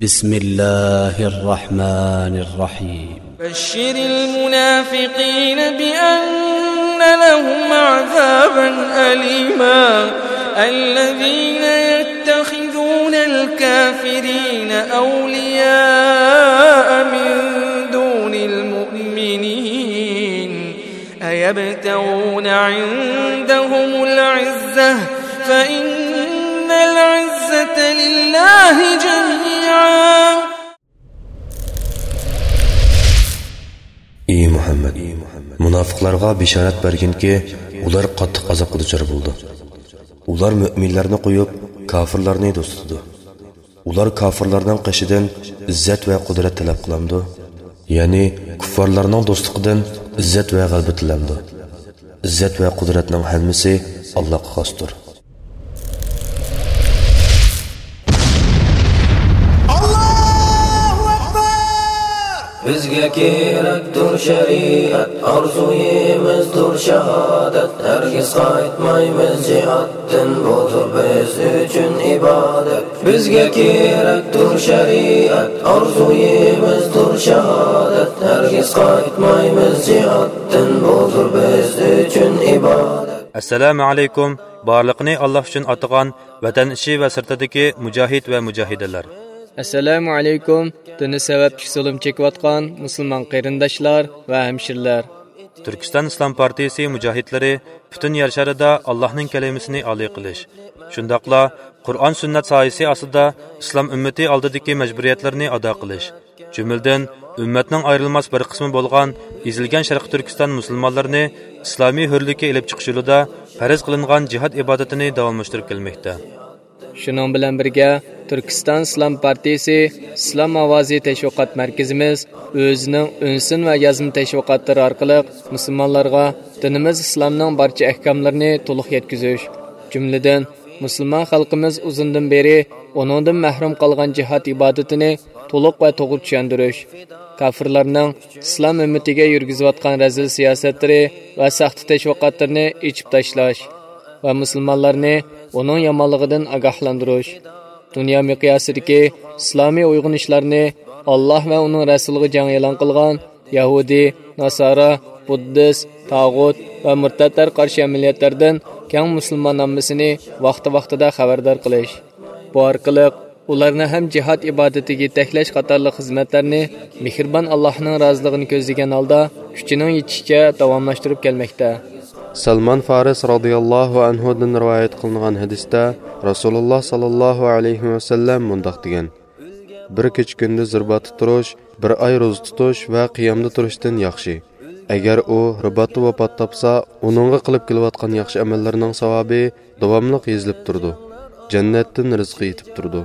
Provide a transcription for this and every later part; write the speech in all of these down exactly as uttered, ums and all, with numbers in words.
بسم الله الرحمن الرحيم. بشر المنافقين بأن لهم عذابا أليما. الذين يتخذون الكافرين أولياء من دون المؤمنين. أيبتغون عندهم العزة فإن العزة لله جميعا. ئى مۇھەممەد، مۇناپىقلارغا بېشارەت بەرگىنكى، ئۇلار قاتتىق ئازابقا دۇچار بولىدۇ. ئۇلار مۆمىنلەرنى قويۇپ، كاپىرلارنى دوست تۇتىدۇ. ئۇلار كاپىرلارنىڭ قېشىدىن ئىززەت ۋە قۇدرەت تەلەپ قىلامدۇ؟ يەنى كۇففارلارنىڭ دوستلۇقىدىن ئىززەت ۋە غەلىبە تىلەمدۇ؟ ئىززەت ۋە قۇدرەتنىڭ ھەممىسى ئاللاغا خاستۇر. ئاللاھۇ ئەكبەر! بىزگە كېرەكتۇر شەرىئەت، ئارزۇيىمىزدۇر شاھادەت، ھەرگىز قايتمايمىز جىھادتىن، بۇدۇر بىز ئۈچۈن ئىبادەت. بىزگە كېرەكتۇر شەرىئەت، ئارزۇيىمىزدۇر شاھادەت، ھەرگىز قايتمايمىز جىھادتىن، بۇدۇر بىز ئۈچۈن ئىبادەت. ئەسسالامۇ ئەلەيكۇم، بارلىقىنى ئاللا ئۈچۈن ئاتىغان ۋەتەن ئىچى ۋە سىرتىدىكى مۇجاھىد ۋە مۇجاھىدەلەر. ئەسسالامۇ ئەلەيكۇم، دىنى سەۋەبلىك زۇلۇم چېكىۋاتقان مۇسۇلمان قېرىنداشلار ۋە ھەمشىرىلەر. تۈركىستان ئىسلام پارتىيىسى مۇجاھىدلىرى پۈتۈن يەر شارىدا ئاللاھنىڭ كەلىمىسىنى ئالىي قىلىش، شۇنداقلا قۇرئان سۈننەت سايىسى ئاستىدا ئىسلام ئۈممىتى ئالدىدىكى مەجبۇرىيەتلىرىنى ئادا قىلىش، جۈملىدىن ئۈممەتنىڭ ئايرىلماس بىر قىسمى بولغان ئېزىلگەن شەرقىي تۈركىستان مۇسۇلمانلىرىنى ئىسلامىي ھۆرلۈككە ئېلىپ چىقىش يولىدا پەرز قىلىنغان جىھاد ئىبادىتىنى داۋاملاشتۇرۇپ كەلمەكتە. شۇنىڭ بىلەن بىرگە، تۈركىستان ئىسلام پارتىيىسى ئىسلام ئاۋازى تەشۋىقات مەركىزىمىز ئۆزىنىڭ ئۈنسىن ۋە يازما تەشۋىقاتلىرى ئارقىلىق مۇسۇلمانلارغا دىنىمىز ئىسلامنىڭ بارچە ئەھكاملىرىنى تولۇق يەتكۈزۈش، جۈملىدىن مۇسۇلمان خەلقىمىز ئۇزۇندىن بېرى ئۇنىڭدىن مەھرۇم قالغان جىھاد ئىبادىتىنى تولۇق ۋە توغرا چۈشەندۈرۈش، كاپىرلارنىڭ ئىسلام ئۈممىتىگە يۈرگۈزۈۋاتقان رەزىل سىياسەتلىرى ۋە ساختا تەشۋىقاتلىرىنى ئېچىپ تاشلاش ۋە مۇسۇلمانلارنى ئۇنىڭ يامانلىقىدىن ئاگاھلاندۇرۇش، دۇنيا مىقياسىدىكى ئىسلامىي ئويغىنىشلارنى ئاللاھ ۋە ئۇنىڭ رەسۇلىغا جەڭ ئېلان قىلغان يەھۇدىي، ناسارا، بۇددىست، تاغۇت ۋە مۇرتەتلەر قارشى ئەمەلىيەتلەردىن كەڭ مۇسۇلمان ئاممىسىنى ۋاقتى-ۋاقتىدا خەۋەردار قىلىش. بۇ ئارقىلىق ئۇلارنى ھەم جىھاد ئىبادىتىگە يېتەكلەش قاتارلىق خىزمەتلەرنى مېھرىبان ئاللاھنىڭ رازىلىقىنى كۆزلىگەن ھالدا كۈچىنىڭ يېتىشىچە داۋاملاشتۇرۇپ كەلمەكتە. سەلمان فارىس رازىياللاھۇ ئەنھۇدىن رىۋايەت قىلىنغان ھەدىستە رەسۇلۇللاھ ساللاللاھۇ ئەلەيھى ۋەسەللەم مۇنداق دېگەن: بىر كېچە كۈندۈز رىباتتا تۇرۇش بىر ئاي روزا تۇتۇش ۋە قىيامدا تۇرۇشتىن ياخشى. ئەگەر ئۇ رىباتتا ۋاپات تاپسا، ئۇنىڭغا قىلىپ كېلىۋاتقان ياخشى ئەمەللىرىنىڭ ساۋابى داۋاملىق يېزىلىپ تۇرىدۇ، جەننەتتىن رىزقى يېتىپ تۇرىدۇ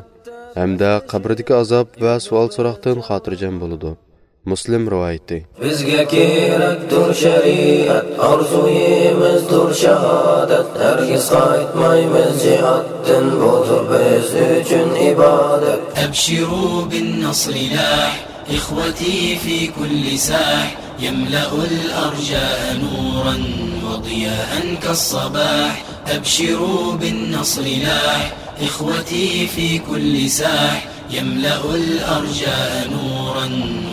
ھەمدە قەبرىدىكى ئازاب ۋە سوئال-سوراقتىن خاتىرجەم بولىدۇ. مۇسلىم رىۋايىتى. بىزگە كېرەكتۇر شەرىئەت، ئارزۇيىمىزدۇر شاھادەت، ھەرگىز قايتمايمىز جىھادتىن، بۇدۇر بىز ئۈچۈن ئىبادەت. أبشروا بالنصر لاح، إخوتي في كل ساح، يملأ الأرجاء نورا وضياء كالصباح. أبشروا بالنصر لاح، إخوتي في كل ساح، يملأ الأرجاء نورا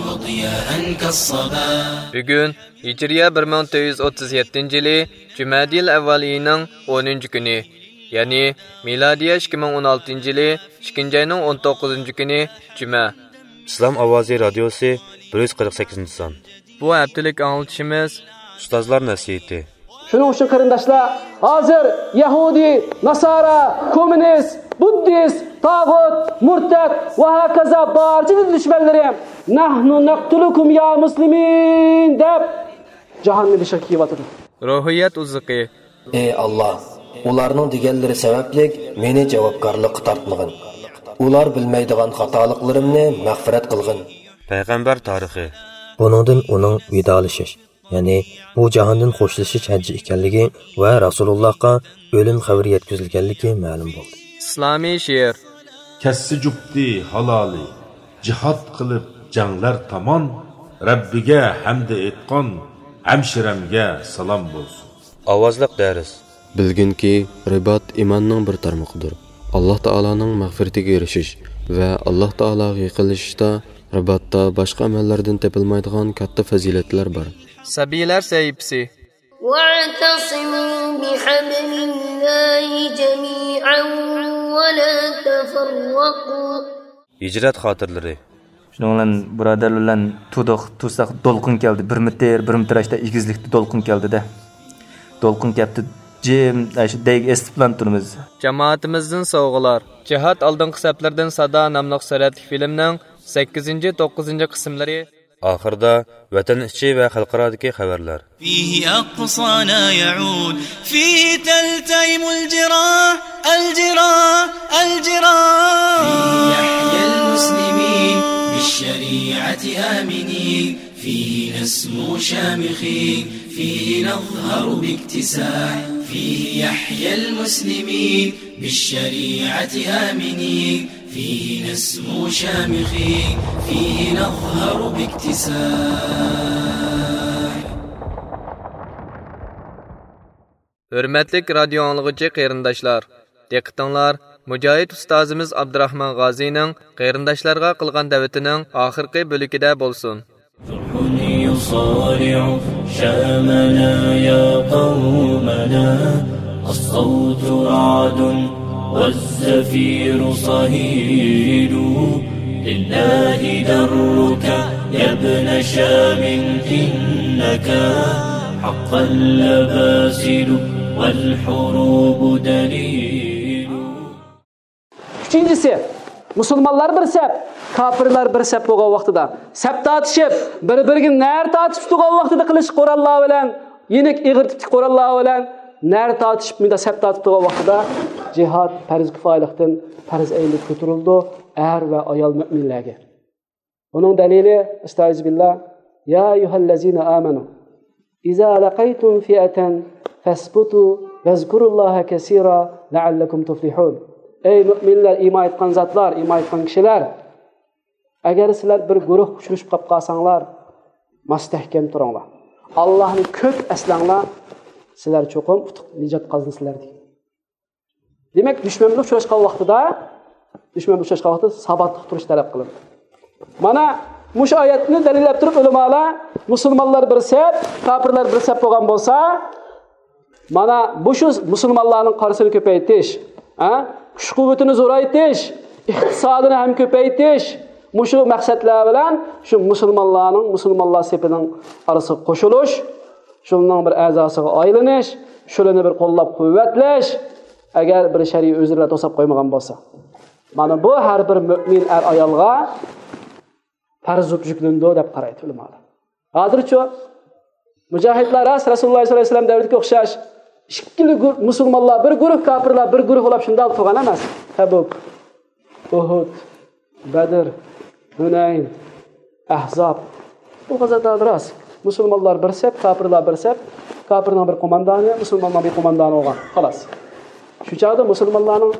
وضياء كالصباح. بۈگۈن ھىجرىيە بىر مىڭ تۆت يۈز ئوتتۇز يەتتىنچى يىلى جۈمەدىل ئەۋۋال ئېيىنىڭ ئونىنچى كۈنى، يەنى مىلادىيە ئىككى مىڭ ئون ئالتىنچى يىلى ئىككىنچى ئاينىڭ ئون توققۇزىنچى كۈنى جۈمە. ئىسلام ئاۋازى رادىيوسى، بىر يۈز قىرىق سەككىزىنچى سان. بۇ ھەپتىلىك ئاڭلىتىشىمىز ئۇستازلار نەسىھىتى. شۇنىڭ ئۈچۈن قېرىنداشلار، ھازىر يەھۇدىي، ناسارا، كوممۇنىست، بۇددىست، تاغۇت، مۇرتەت ۋە ھاكازا بارچە دىن دۈشمەنلىرى «نەھنۇ نەقتۇلۇكۇم يا مۇسلىمىن» دەپ جاھاننى بېشىغا كىيىۋاتىدۇ. روھىيەت ئوزۇقى. ئى ئاللا، ئۇلارنىڭ دېگەنلىرى سەۋەبلىك مېنى جاۋابكارلىققا تارتمىغىن. ئۇلار بىلمەيدىغان خاتالىقلىرىمنى مەغپىرەت قىلغىن. پەيغەمبەر تارىخى. بۇنىڭدىن ئۇنىڭ ۋىدالىشىش، يەنى بۇ جاھاندىن خوشلىشىش ھەججى ئىكەنلىكى ۋە رەسۇلۇللاھقا ئۆلۈم خەۋىرى يەتكۈزۈلگەنلىكى مەلۇم بولدى. ئىسلامىي شېئىر. كەسسە جۈپتى ھالالى، جىھاد قىلىپ جەڭلەر تامان، رەببىگە ھەمدە ئېيتقان، ھەمشىرەمگە سالام بولسۇن. ئاۋازلىق دەرس. بىلگىنكى، رىبات ئىماننىڭ بىر تارمىقىدۇر. ئاللا تائالانىڭ مەغپىرىتىگە ئېرىشىش، ۋە ئاللاھ تائالاغا يېقىنلىشىشتا رىباتتا باشقا ئەمەللەردىن تېپىلمايدىغان كاتتا پەزىلەتلەر بار. سەبىيلەر سەھىپىسى. واعتصموا بحبل الله جميعا ولا تفرقوا. ھىجرەت خاتىرىلىرى. شۇنىڭ بىلەن بۇرادەرلەر بىلەن تۇردۇق، تۇرساق دولقۇن كەلدى. بىر مېتىر، بىر مېتىر ئاشتا ئېگىزلىكتە دولقۇن كەلدىدە. دولقۇن كەپتۇ، جىم، ئاشۇ دەيگە ئېسىتىپلا تۇرىمىز. جامائىتىمىزدىن سوۋغىلار. جىھاد ئالدىنقى سەپلەردىن سادا ناملىق سۈرەتلىك فىلىمنىڭ سەككىزىنچى، توققۇزىنچى قىسىملىرى. ئاخىرىدا ۋەتەن ئىچى ۋە خەلقئارادىكى خەۋەرلەر. فيه أقصانا يعود، فيه تلتئم الجراح، الجراح، الجراح. فيه يحيى المسلمين بالشريعة آمنين، فيه نسمو شامخين، فيه نظهر باكتساح، فيه يحيى المسلمين بالشريعة آمنين، فيه نسمو شامخين، فيه نظهر باكتساح. ھۆرمەتلىك رادىيو ئاڭلىغۇچى قېرىنداشلار، دىققىتىڭلار مۇجاھىد ئۇستازىمىز ئابدۇراخمان غازىنىڭ قېرىنداشلارغا قىلغان دەۋىتىنىڭ ئاخىرقى بۆلىكىدە بولسۇن. يصارع شامنا يا قومنا، الصوت رعد والزفير صهيل. لله درك يا ابن شام إنك حقا لباسل والحروب دليل. ئۈچىنچىسى، مۇسۇلمانلار بىر سەپ، كاپىرلار بىر سەپ بولغان ۋاقتىدا سەپ تارتىشىپ، بىر-بىرىگە نەر تارتىشىپ تۇرغان ۋاقتىدا قىلىچ قوراللار بىلەن، يېنىك ئېغىر تىپتىكى قوراللار بىلەن نەر تارتىشىپ، مۇنداق سەپ تارتىپ تۇرغان ۋاقتىدا جىھاد پەرز كىپايىلىقتىن پەرز ئەينىگە كۆتۈرۈلىدۇ. ئەر ۋە ئايال مۆمىنلەرگە. بۇنىڭ دەلىلى، ئەستەئىزۇبىللا، يا أيها الذين آمنوا إذا لقيتم فئة فاثبتوا واذكروا الله كثيرا لعلكم تفلحون. ئەي مۆمىنلەر، ئىمان ئېيتقان زاتلار، ئىمان ئېيتقان كىشىلەر، ئەگەر سىلەر بىر گۇرۇھ ئۇچرىشىپ قاپ قالساڭلار، مەستەھكەم تۇرۇڭلار. ئاللاھنى كۆپ ئەسلەڭلار، سىلەر چوقۇم ئۇتۇق، نىجات قازىنىسىلەر، دېگەن. دېمەك، دۈشمەن بىلەن ئۇچراشقان ۋاقتىدا، دۈشمەن بىلەن ئۇچراشقان ۋاقتىدا ساباتلىق تۇرۇش تەلەپ قىلىنىدۇ. مانا مۇشۇ ئايەتنى دەلىللەپ تۇرۇپ، ئۆلىمالار مۇسۇلمانلار بىر سەپ، كاپىرلار بىر سەپ بولغان بولسا، مانا مۇشۇ مۇسۇلمانلارنىڭ قارىسىنى كۆپەيتىش، ھە؟ كۈچ-قۇۋۋىتىنى زورايتىش، ئىقتىسادىنى ھەم كۆپەيتىش، مۇشۇ مەقسەتلەر بىلەن شۇ مۇسۇلمانلارنىڭ، مۇسۇلمانلار سېپىنىڭ ئارىسىغا قوشۇلۇش، شۇنىڭ بىر ئەزاسىغا ئايلىنىش، شۇلارنى بىر قوللاپ-قۇۋۋەتلەش، ئەگەر بىر شەرئىي ئۆزرىلەر توساپ قويمىغان بولسا. مانا بۇ ھەر بىر مۆمىن ئەر-ئايالغا پەرز بولۇپ يۈكلىنىدۇ دەپ قارايدۇ ئۆلىمالار. ھازىرچۇ مۇجاھىدلار راست رەسۇلۇللا سەللەللاھۇ ئەلەيھى ۋەسەللەم دەۋرىدىكى ئوخشاش ئىككىلا گۇ-، مۇسۇلمانلار بىر گۇرۇھ، كاپىرلار بىر گۇرۇھ بولۇپ شۇنداق تۇرغان ئەمەس. تەبۇك، ئۇھۇد، بەدر، ھۇنەين، ئەھزاب. بۇ غەزۋەتلەردە راست. مۇسۇلمانلار بىر سەپ، كاپىرلار بىر سەپ، كاپىرنىڭ بىر قوماندانى، مۇسۇلماننىڭ بىر قوماندانى بولغان. خالاس. شۇ چاغدا مۇسۇلمانلارنىڭ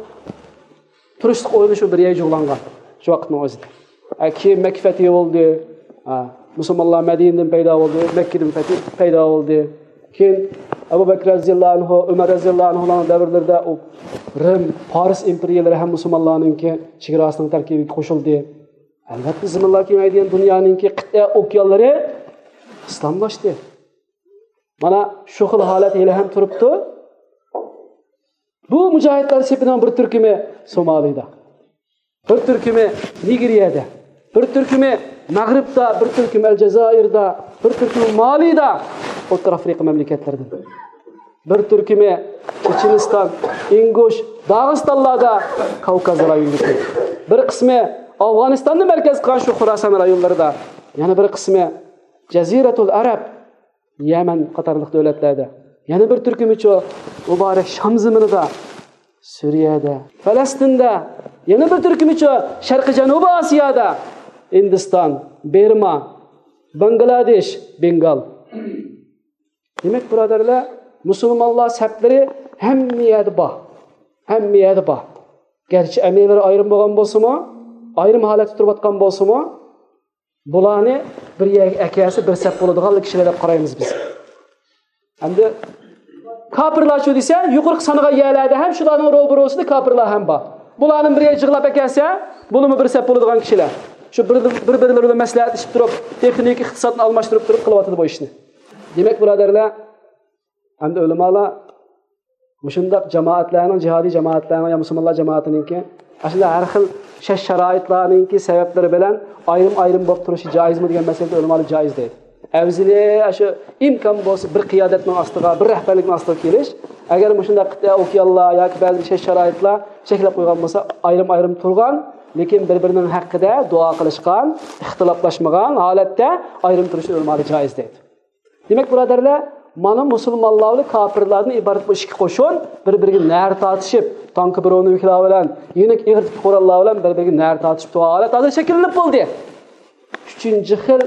تۇرۇشلۇق ئورنى شۇ بىر يەرگە جۇغلانغان شۇ ۋاقىتنىڭ ئۆزىدە. ھە، كېيىن مەككە فەتھى بولدى. ھە، مۇسۇلمانلار مەدىنىدىن پەيدا بولدى، مەككىدىن پەتھى پەيدا بولدى. كېيىن ئەبۇ بەكرى رەزىياللاھۇ ئەنھۇ، ئۆمەر رەزىياللاھۇ ئەنھۇلارنىڭ دەۋرلىرىدە ئۇ رىم، پارس ئىمپېرىيەلىرى ھەم مۇسۇلمانلارنىڭكى چېگراسىنىڭ تەركىبىگە قوشۇلدى. ئەلۋەتتە، زېمىنلار كېڭەيدىغان دۇنيانىڭكى قىتئە ئوكيانلىرى ئىسلاملاشتى. مانا شۇ خىل ھالەت ھېلىھەم تۇرۇپتۇ. بۇ مۇجاھىدلار سېپىنىڭ بىر تۈركۈمى سومالىدا، بىر تۈركۈمى نىگېرىيەدە، بىر تۈركۈمى مەغرىبتا، بىر تۈركۈمى ئەلجەزائىردا، بىر تۈركۈمى مالىدا، ئوتتۇرا ئافرىقا مەملىكەتلىرىدىن، بىر تۈركۈمى چېچېنىستان، ئىنگۇش، داغىستانلاردا، كاۋكاز رايونىدىكى، بىر قىسمى ئافغانىستاننى مەركەز قىلغان شۇ خوراسان رايونلىرىدا، يەنە بىر قىسمى جەزىرەتۇل ئەرەب، يەمەن قاتارلىق دۆلەتلەردە، يەنە بىر تۈركۈمىچۇ مۇبارەك شام زېمىنىدا، سۈرىيەدە، پەلەستىندە، يەنە بىر تۈركۈمىچۇ شەرقىي جەنۇبىي ئاسىيادا، ھىندىستان، بىرما، باڭگلادېش، بېنگال. دېمەك، بۇرادەرلەر، مۇسۇلمانلار سەپلىرى ھەممە يەردە بار. ھەممە يەردە بار. گەرچە ئەمىرلىرى ئايرىم بولغان بولسىمۇ، ئايرىم ھالەتتە تۇرۇۋاتقان بولسىمۇ، بۇلارنى بىر يەرگە ئەكەلسە، بىر سەپ بولىدىغانلا كىشىلەر دەپ قارايمىز بىز. ئەمدى كاپىرلارچۇ دېسە، يۇقىرىقى سانىغان يەرلەردە ھەم شۇلارنىڭ روبىروسىدا كاپىرلار ھەم بار. بۇلارنى بىر يەرگە يىغلاپ ئەكەلسە، بۇلىمۇ بىر سەپ بولىدىغان كىشىلەر. شۇ بىر، بىر-بىرلىرى بىلەن مەسلىھەتلىشىپ تۇرۇپ، تېخنىكا، ئىقتىسادنى ئالماشتۇرۇپ تۇرۇپ قىلىۋاتىدۇ بۇ ئىشنى. دېمەك، بۇرادەرلەر، ئەمدى ئۆلىمالار مۇشۇنداق جامائەتلەرنىڭ، جىھادىي جامائەتلەرنىڭ يا مۇسۇلمانلار جامائىتىنىڭكى ئاشۇنداق ھەر خىل شەرت-شارائىتلارنىڭكى سەۋەبلىرى بىلەن ئايرىم-ئايرىم بولۇپ تۇرۇشى جائىزمۇ دېگەن مەسىلىدە ئۆلىمالار جائىز دەيدۇ. ئەۋزىلى شۇ ئىمكان بولسا بىر قىيادەتنىڭ ئاستىغا، بىر رەھبەرلىكنىڭ ئاستىغا كېلىش. ئەگەر مۇشۇنداق قىتئە ئوكيانلار ياكى بەزى بىر شەرت-شارائىتلار چەكلەپ قويغان بولسا، ئايرىم-ئايرىم تۇرغان، لېكىن بىر-بىرىنىڭ ھەققىدە دۇئا قىلىشقان، ئىختىلاپلاشمىغان ھالەتتە ئايرىم تۇرۇشنى ئۆلىمالار جائىز دەيدۇ. دېمەك، بۇرادەرلەر، مانا مۇسۇلمانلار بىلەن كاپىرلاردىن ئىبارەت بۇ ئىككى قوشۇن بىر-بىرىگە نەر تارتىشىپ، تانكا برونېۋىكلار بىلەن، يېنىك ئېغىر تىپلىق قوراللار بىلەن بىر-بىرىگە نەر تارتىشىپ تۇرغان ھالەت ھازىر شەكىللىنىپ بولدى. ئۈچىنچى خىل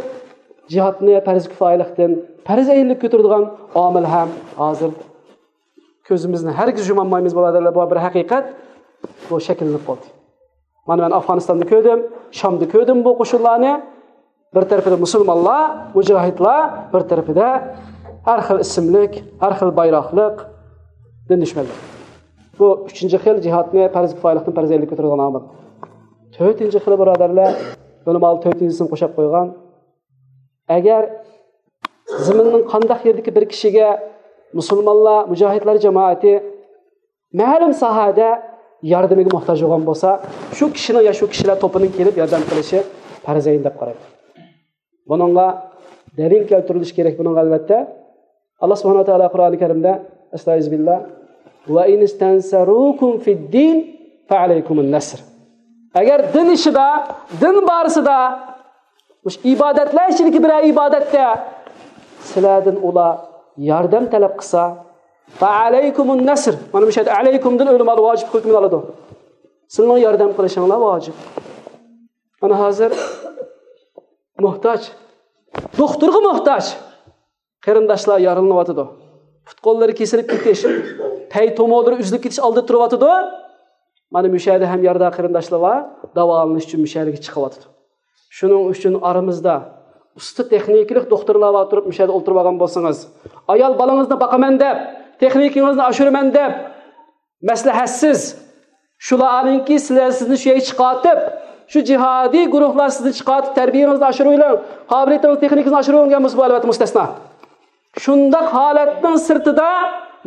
جىھادنى پەرز كۇپايىلىقتىن پەرز ئەينلىك كۆتۈرىدىغان ئامىل ھەم ھازىر كۆزىمىزنى ھەرگىز يۇمالمايمىز، بۇرادەرلەر، بۇ بىر ھەقىقەت. بۇ شەكىللىنىپ قالدى. مانا مەن ئافغانىستاندا كۆردۈم، شامدا كۆردۈم بۇ قوشۇنلارنى. بىر تەرىپىدە مۇسۇلمانلار، مۇجاھىدلار، بىر تەرىپىدە ھەر خىل ئىسىملىك، ھەر خىل بايراقلىق دىن دۈشمەنلىرى. بۇ ئۈچىنچى خىل جىھادنى پەرز كۇپايىلىقتىن پەرز ئەينلىك كۆتۈرىدىغان ئامىل. تۆتىنچى خىلى، بۇرادەرلەر، ئۆلىمالار تۆتىنچىسىنى قوشاپ قويغان. ئەگەر زېمىننىڭ قانداق يېرىدىكى بىر كىشىگە مۇسۇلمانلار، مۇجاھىدلار جامائىتى مەلۇم ساھەدە ياردىمىگە موھتاج بولغان بولسا، شۇ كىشىنىڭ يا شۇ كىشىلەر توپىنىڭ كېلىپ ياردەم قىلىشى پەرز ئەين دەپ قارايدۇ. بۇنىڭغا دەلىل كەلتۈرۈلۈشى كېرەك. بۇنىڭغا، ئەلۋەتتە، ئاللا سۇبھانەھۇ ۋە تائالا قۇرئانى كەرىمدە، ئەستەئىزۇبىللا، «ۋە ئىن ئىستەنسەرۇكۇم فىددىن فەئەلەيكۇمۇن نەسر.» ئەگەر دىن ئىشىدا، دىن بارىسىدا، مۇشۇ ئىبادەتلەر ئىچىدىكى بىرەر ئىبادەتتە سىلەردىن ئۇلار ياردەم تەلەپ قىلسا، فەئەلەيكۇمۇن نەسر. مانا مۇشۇ يەردە ئەلەيكۇمدىن ئۆلىمالار ۋاجىپ ھۆكمىنى ئالىدۇ. سىلىنىڭ ياردەم قىلىشىڭلار ۋاجىپ. مانا ھازىر موھتاج، دوختۇرغا موھتاج. قېرىنداشلار يارىلىنىۋاتىدۇ. پۇت-قوللىرى كېسىلىپ كېتىش، پەي تومۇرلىرى ئۈزۈلۈپ كېتىش ئالدىدا تۇرۇۋاتىدۇ. مانا مۇشۇ يەردە ھەم يارىدار قېرىنداشلار بار، داۋالىنىش ئۈچۈن مۇشۇ يەرگە چىقىۋاتىدۇ. شۇنىڭ ئۈچۈن ئارىمىزدا ئۇستا تېخنىكىلىق دوختۇرلار بار تۇرۇپ، مۇشۇ يەردە ئولتۇرۇپ ئالغان بولسىڭىز، ئايال بالىڭىزنى باقىمەن دەپ، تېخنىكىڭىزنى ئاشۇرىمەن دەپ، مەسلىھەتسىز، شۇلارنىڭكى سىلەر، سىزنى شۇ يەرگە چىقارتىپ، شۇ جىھادىي گۇرۇھلار سىزنى چىقارتىپ، تەربىيەڭىزنى ئاشۇرۇۋېلىڭ، قابىلىيىتىڭىز، تېخنىكىڭىزنى ئاشۇرۇۋېلىڭ دېگەن بولسا، بۇ ئەلۋەتتە مۇستەسنا. شۇنداق ھالەتنىڭ سىرتىدا،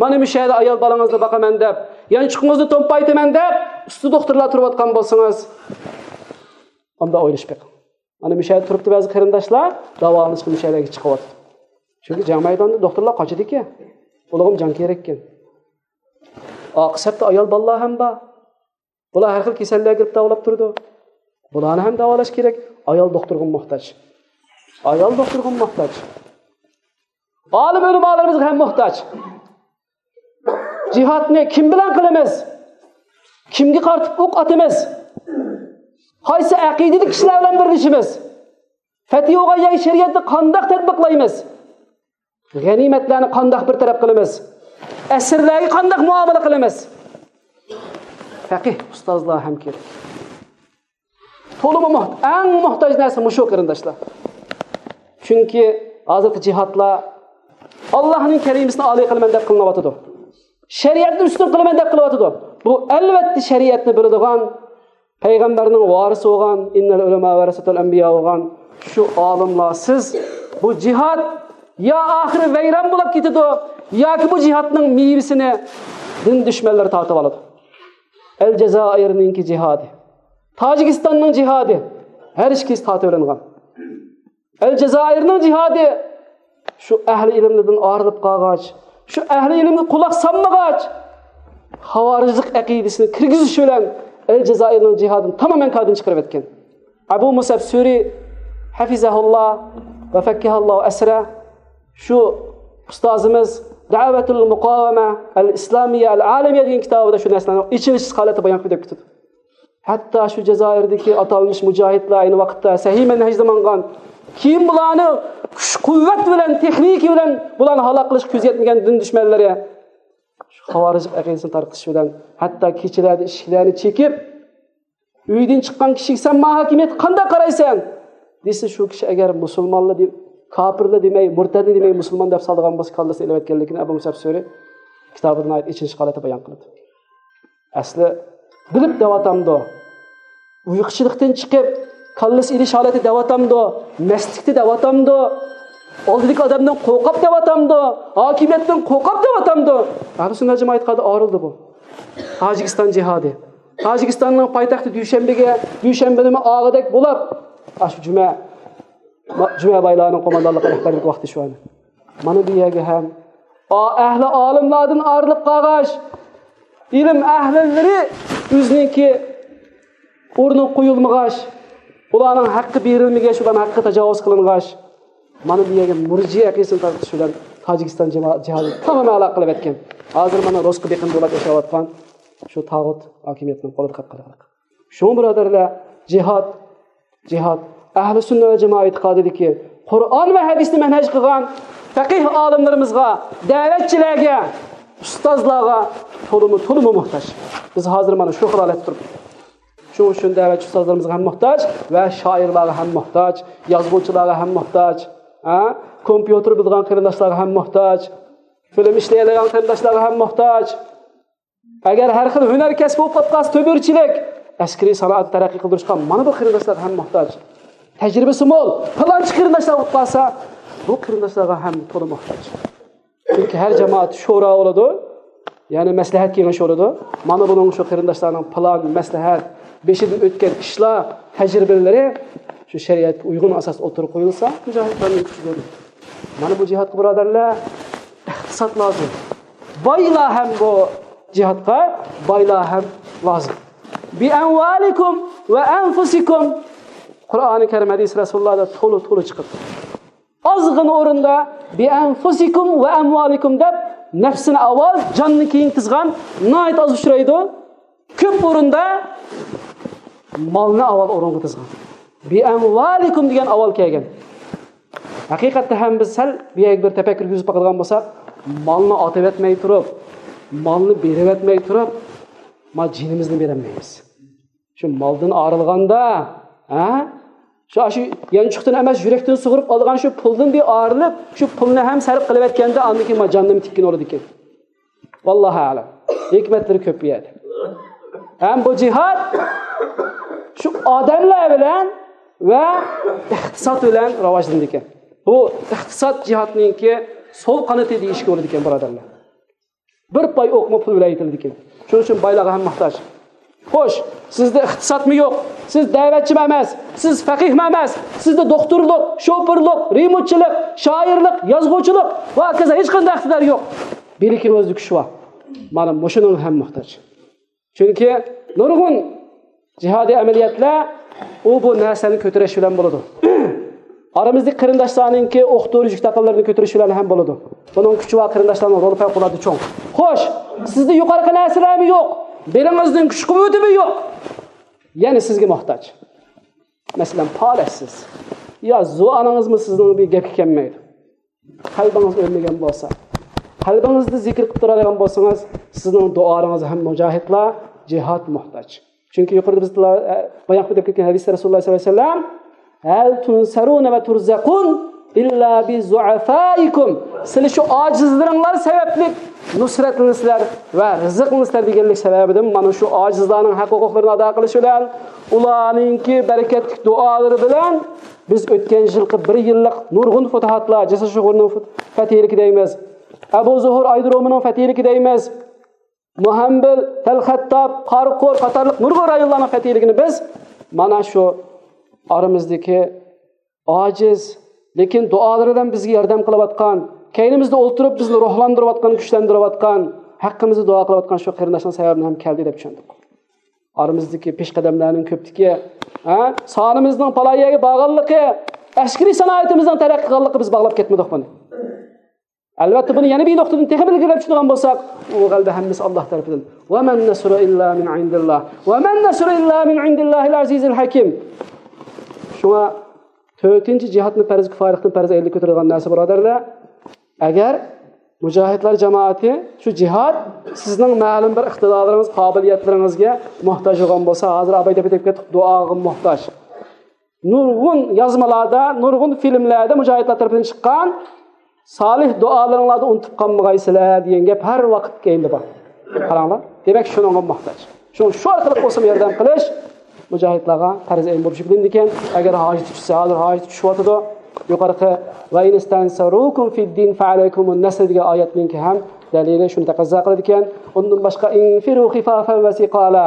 مانا مۇشۇ يەردە ئايال بالىڭىزنى باقىمەن دەپ، يانچۇقىڭىزنى تومپايتىمەن دەپ، ئۇستا دوختۇرلار تۇرۇۋاتقان بولسىڭىز، ئۇنداق ئويلىشىپ بېقىڭ. مانا مۇشۇ يەردە تۇرۇپتۇ بەزى قېرىنداشلار، داۋالىنىشقا مۇشۇ يەرگە چىقىۋاتىدۇ. چۈنكى جەڭ مەيدانىدا دوختۇرلار قاچىدىكەن، ئۇلارغىمۇ جان كېرەككەن. ئارقا سەپتە ئايال بالىلار ھەم بار. بۇلار ھەر خىل كېسەللەرگە كىرىپ داۋالاپ تۇرىدۇ. بۇلارنى ھەم داۋالاش كېرەك. ئايال دوختۇرغا موھتاج. ئايال دوختۇرغا موھتاج. ئالىم ئۆلىمالىرىمىزغا ھەم موھتاج. جىھادنى كىم بىلەن قىلىمىز؟ كىمگە قارىتىپ ئوق ئاتىمىز؟ قايسى ئەقىدىدىكى كىشىلەر بىلەن بىرلىشىمىز؟ پەتھى بولغان يەرگە شەرىئەتنى قانداق تەتبىقلايمىز؟ غەنىيمەتلەرنى قانداق بىر تەرەپ قىلىمىز؟ ئەسىرلەرگە قانداق مۇئامىلە قىلىمىز؟ پەقىھ ئۇستازلار ھەم كېرەك. تولىمۇ موھ-، ئەڭ موھتاج نەرسە مۇشۇ، قېرىنداشلار. چۈنكى ھازىرقى جىھادلار ئاللاھنىڭ كەلىمىسىنى ئالىي قىلىمەن دەپ قىلىنىۋاتىدۇ. شەرىئەتنى ئۈستۈن قىلىمەن دەپ قىلىۋاتىدۇ. بۇ، ئەلۋەتتە، شەرىئەتنى بىلىدىغان، پەيغەمبەرنىڭ ۋارىسى بولغان، «ئىننەل ئۇلەما ۋەرەسەتۇل ئەنبىيا» بولغان شۇ ئالىملارسىز بۇ جىھاد يا ئاخىرى ۋەيران بولۇپ كېتىدۇ، ياكى بۇ جىھادنىڭ مېۋىسىنى دىن دۈشمەنلىرى تارتىۋالىدۇ. ئەلجەزائىرنىڭكى جىھادى، تاجىكىستاننىڭ جىھادى ھەر ئىككىسى تارتىۋېلىنغان. ئەلجەزائىرنىڭ جىھادى شۇ ئەھلى ئىلىملىرىدىن ئايرىلىپ قالغاچ، شۇ ئەھلى ئىلىمگە قۇلاق سالمىغاچ، خاۋارىجلىق ئەقىدىسىنى كىرگۈزۈش بىلەن ئەلجەزائىرنىڭ جىھادىنى تامامەن كاردىن چىقىرىۋەتكەن. ئەبۇ مۇسئەب سۈرى، ھەفىزەھۇللا ۋە فەككەھەللا ئەسرە، شۇ ئۇستازىمىز دەۋەتۇل مۇقاۋەمە ئەل ئىسلامىيە ئەل ئالەمىيە دېگەن كىتابىدا شۇ نەرسىلەرنى ئېچىنىشلىق ھالەتتە بايان قىلىپ كېتىدۇ. ھەتتا شۇ جەزائىردىكى ئاتالمىش مۇجاھىدلار ئەينى ۋاقىتتا سەھىھ مەنھەجدە ماڭغان، كېيىن بۇلارنى كۈچ-قۇۋۋەت بىلەن، تېخنىكا بىلەن بۇلارنى ھالاك قىلىشقا كۆزى يەتمىگەن دىن دۈشمەنلىرى شۇ خاۋارىجلىق ئەقىدىسىنى تارقىتىش بىلەن، ھەتتا كېچىلەردە ئىشىكلەرنى چېكىپ، «ئۆيدىن چىققان كىشىگە سەن ماڭا ھاكىمىيەتكە قانداق قارايسەن؟» دېسە، شۇ كىشى ئەگەر مۇسۇلمانلا دېم-، كاپىرلا دېمەي، مۇرتەدلا دېمەي، مۇسۇلمان دەپ سالىدىغان بولسا، كاللىسىنى ئېلىۋەتكەنلىكىنى ئەبۇ مۇسئەب سۈرى كىتابىدا ناھايىتى ئېچىنىشلىق ھالەتتە بايان قىلىدۇ. ئەسلى بىلىپ دەۋاتامدۇ؟ ئۇيقۇچىلىقتىن چىقىپ، كاللىسى ئېلىش ھالىتى دەۋاتامدۇ؟ مەستلىكتە دەۋاتامدۇ؟ ئالدىدىكى ئادەمدىن قورقۇپ دەۋاتامدۇ؟ ھاكىمىيەتتىن قورقۇپ دەۋاتامدۇ؟ ئەھلى سۈننەت جامائەت ئېتىقادى ئايرىلدى بۇ. تاجىكىستان جىھادى. تاجىكىستاننىڭ پايتەختى دۈشەنبىگە، دۈشەنبە نېمە ئاغىدەك بولاپ، ئاشۇ جۈمە، جۈمە بايلارنىڭ قوماندانلىقى رەھبەرلىك ۋاقتى شۇ ئەنە. مانا بۇ يەرگە ھەم ئا-، ئەھلى ئالىملاردىن ئايرىلىپ قالغاچ، ئىلىم ئەھلىلىرى ئۆزىنىڭكى ئورنىغا قويۇلمىغاچ، ئۇلارنىڭ ھەققى بېرىلمىگەچ، ئۇلارنىڭ ھەققى تاجاۋۇز قىلىنغاچ، مانا بۇ يەرگە مۇرجىئە ئەقىدىسىنى تارقىتىش بىلەن تاجىكىستان جامائەت جىھادى تامام ئالاقە قىلىۋەتكەن. ھازىر مانا رۇسقا بېقىندى بولۇپ ياشاۋاتقان شۇ تاغۇت ھاكىمىيەتنىڭ قولىدا قاپقالغان. شۇڭا بۇرادەرلەر، جىھاد، جىھاد، ئەھلى سۈننە ۋە جامائەت ئېتىقادىدىكى قۇرئان ۋە ھەدىسنى مەنھەج قىلغان پەقىھ ئالىملىرىمىزغا، دەۋەتچىلەرگە، ئۇستازلارغا تولىمۇ، تولىمۇ موھتاج. بىز ھازىر مانا شۇ خىل ھالەتتە تۇرۇپتۇق. شۇنىڭ ئۈچۈن دەۋەتچى ئۇستازلىرىمىزغا ھەم موھتاج ۋە شائىرلارغا ھەم موھتاج، يازغۇچىلارغا ھەم موھتاج، ھە؟ كومپيۇتېر بىلىدىغان قېرىنداشلارغا ھەم موھتاج، فىلىم ئىشلىيەلەيدىغان قېرىنداشلارغا ھەم موھتاج. ئەگەر ھەر خىل ھۈنەر كەسپى بولۇپ قالسا، تۆمۈرچىلىك، ئەسكىرىي سانائەتنى تەرەققىي قىلدۇرۇشقا مانا بۇ قېرىنداشلارغا ھەم موھتاج. تەجرىبىسى مول، پىلانچى قېرىنداشلار بولۇپ قالسا، بۇ قېرىنداشلارغا ھەم تولا موھتاج. چۈنكى ھەر جامائەت شورا بولىدۇ، يەنى مەسلىھەت كېڭىشى بولىدۇ. مانا بۇنىڭ شۇ قېرىنداشلارنىڭ پىلان، مەسلىھەت، بېشىدىن ئۆتكەن ئىشلار، تەجرىبىلىرى شۇ شەرىئەتكە ئۇيغۇن ئاساستا ئوتتۇرىغا قويۇلسا، مۇجاھىدلارنىڭ كۈچى زور. مانا بۇ جىھادقا، بۇرادەرلەر، ئىقتىساد لازىم. بايلار ھەم بۇ جىھادقا، بايلار ھەم لازىم. بىئەمۋالىكۇم ۋە ئەنفۇسىكۇم. قۇرئانى كەرىم، ھەدىس رەسۇلۇللاھدا تولا، تولا چىقىدۇ. ئازغىنە ئورۇندا بىئەنفۇسىكۇم ۋە ئەمۋالىكۇم دەپ نەپسىنى ئاۋۋال، جاننى كېيىن تىزغان ناھايىتى ئاز ئۇچرايدۇ. كۆپ ئورۇندا مالنى ئاۋۋال ئورۇنغا تىزغان. بىئەمۋالىكۇم دېگەن ئاۋۋال كەلگەن. ھەقىقەتتە ھەم بىز سەل بۇ يەرگە بىر تەپەككۇر يۈرگۈزۈپ باقىدىغان بولساق، مالنى ئاتىۋەتمەي تۇرۇپ، مالنى بېرىۋەتمەي تۇرۇپ، ما جېنىمىزنى بېرەلمەيمىز. شۇ مالدىن ئايرىلغاندا، ھە؟ شۇ، شۇ يانچۇقتىن ئەمەس، يۈرەكتىن سۇغۇرۇپ ئالغان شۇ پۇلدىن بىر ئايرىلىپ، شۇ پۇلنى ھەم سەرپ قىلىۋەتكەندە، ئاندىن كېيىن ما جاننىمۇ تىككىن بولىدىكەن. ۋاللاھۇ ئەلەم. ھېكمەتلىرى كۆپ بۇ يەردە. ھەم بۇ جىھاد شۇ ئادەملەر بىلەن ۋە ئىقتىساد بىلەن راۋاجلىنىدىكەن. بۇ ئىقتىساد جىھادنىڭكى سول قانىتى دېيىشكە بولىدىكەن، بۇرادەرلەر. بىر پاي ئوقمۇ پۇل بىلەن يېتىلىدىكەن. شۇنىڭ ئۈچۈن بايلارغا ھەم موھتاج. خوش، سىزدە ئىقتىسادمۇ يوق، سىز دەۋەتچىمۇ ئەمەس، سىز فەقىھمۇ ئەمەس، سىزدە دوختۇرلۇق، شوپۇرلۇق، رېمونتچىلىق، شائىرلىق، يازغۇچىلىق ۋە ھاكازا ھېچقانداق ئىقتىدار يوق. بىلىكىڭىزدە كۈچ بار. مانا مۇشۇنىڭغا ھەم موھتاج. چۈنكى نۇرغۇن جىھادىي ئەمەلىيەتلەر ئۇ بۇ نەرسىلەرنى كۆتۈرۈش بىلەن بولىدۇ. ئارىمىزدىكى قېرىنداشلارنىڭكى ئوق-دورا، يۈك-تاقىلىرىنى كۆتۈرۈش بىلەن ھەم بولىدۇ. بۇنىڭ كۈچى بار قېرىنداشلارنىڭ رولى پەۋقۇلئاددە چوڭ. خوش، سىزدە يۇقىرىقى نەرسىلەرمۇ يوق، بېلىڭىزنىڭ كۈچ-قۇۋۋىتىمۇ يوق. يەنە سىزگە موھتاج. مەسىلەن، پالەچسىز. يا زۇۋانىڭىزمۇ سىزنىڭ بىر گەپكە كەلمەيدۇ. قەلبىڭىز ئۆلمىگەن بولسا، قەلبىڭىزدە زىكىر قىلىپ تۇرالىغان بولسىڭىز، سىزنىڭ دۇئالىرىڭىزغا ھەم مۇجاھىدلار، جىھاد موھتاج. چۈنكى يۇقىرىدا بىز تىلا-، ئە، بايان قىلىپ كەتكەن ھەدىستە رەسۇلۇللاھ سەللەللاھۇ ئەلەيھى ۋەسەللەم، ھەل تۇنسەرۇنە ۋە تۇرزەقۇن ئىللا بىزۇئەفائىكۇم. سىلى شۇ ئاجىزلىرىڭلار سەۋەبلىك نۇسرەتلىنىسىلەر ۋە رىزىقلىنىسىلەر دېگەنلىك سەۋەبىدىن، مانا شۇ ئاجىزلارنىڭ ھەق ھوقۇقلىرىنى ئادا قىلىش بىلەن، ئۇلارنىڭكى بەرىكەتلىك دۇئالىرى بىلەن بىز ئۆتكەن يىلقى بىر يىللىق نۇرغۇن فۇتۇھاتلار، جەسەس شۇغۇرنىڭ فۇت-، فەتھىلىكى دەيمىز، ئەبۇ زۇھۇر ئايدرومىنىڭ فەتھىلىكى دەيمىز، مۇھەمبىل، تەلخەتتاب، قاراقور قاتارلىق نۇرغۇن رايونلارنىڭ فەتھىلىكىنى بىز مانا شۇ ئارىمىزدىكى ئاجىز، لېكىن دۇئالىرى بىلەن بىزگە ياردەم قىلىۋاتقان، كەينىمىزدە ئولتۇرۇپ بىزنى روھلاندۇرۇۋاتقان، كۈچلەندۈرۈۋاتقان، ھەققىمىزدە دۇئا قىلىۋاتقان شۇ قېرىنداشنىڭ سەۋەبىدىن ھەم كەلدى دەپ چۈشەندۇق. ئارىمىزدىكى پېشقەدەملەرنىڭ كۆپلۈكى، ھە، سانىمىزنىڭ پالاي يەرگە بارغانلىقى، ئەسكىرىي سانائىتىمىزنىڭ تەرەققىي قىلغانلىقى بىز باغلاپ كەتمىدۇق بۇنى. ئەلۋەتتە، بۇنى يەنە بىر نۇقتىدىن تېخىمۇ ئىلگىرىلەپ چۈشىدىغان بولساق، ئۇ غەلىبە ھەممىسى ئاللاھ تەرىپىدىن. ۋەمەن نەسرۇ ئىللا مىن ئىندىللاھ. ۋەمەن نەسرۇ ئىللا مىن ئىندىللاھىل ئەزىزىل ھەكىم. شۇڭا تۆتىنچى جىھادنى پەرز كىپايىلىقتىن پەرز ئەينلىك كۆتۈرىدىغان نەرسە، بۇرادەرلەر، ئەگەر مۇجاھىدلار جامائىتى، شۇ جىھاد سىزنىڭ مەلۇم بىر ئىقتىدارلىرىڭىز، قابىلىيەتلىرىڭىزگە موھتاج بولغان بولسا، ھازىر ئاباي دەپ ئۆتۈپ كەتتۇق، دۇئاغا موھتاج. نۇرغۇن يازمىلاردا، نۇرغۇن فىلىملەردە مۇجاھىدلار تەرىپىدىن چىققان، سالىھ دۇئالىرىڭلاردا ئۇنتۇپ قالمىغايسىلەر دېگەن گەپ ھەر ۋاقىت كەينىدە بار. قاراڭلار، دېمەك، شۇنىڭغا موھتاج. شۇڭا شۇ ئارقىلىق بولسىمۇ ياردەم قىلىش مۇجاھىدلارغا پەرز ئەين بولۇپ يۈكلىنىدىكەن. ئەگەر ھاجىتى چۈشسە، ھازىر ھاجىتى چۈشۈۋاتىدۇ. يۇقىرىقى «ۋە ئىن ئىستەنسەرۇكۇم فىددىن فەئەلەيكۇمۇن نەسر» دېگەن ئايەتنىڭكى ھەم دەلىلى شۇنى تەقەززا قىلىدىكەن. ئۇندىن باشقا «ئىنفىرۇ خىفافەن ۋە سىقالا».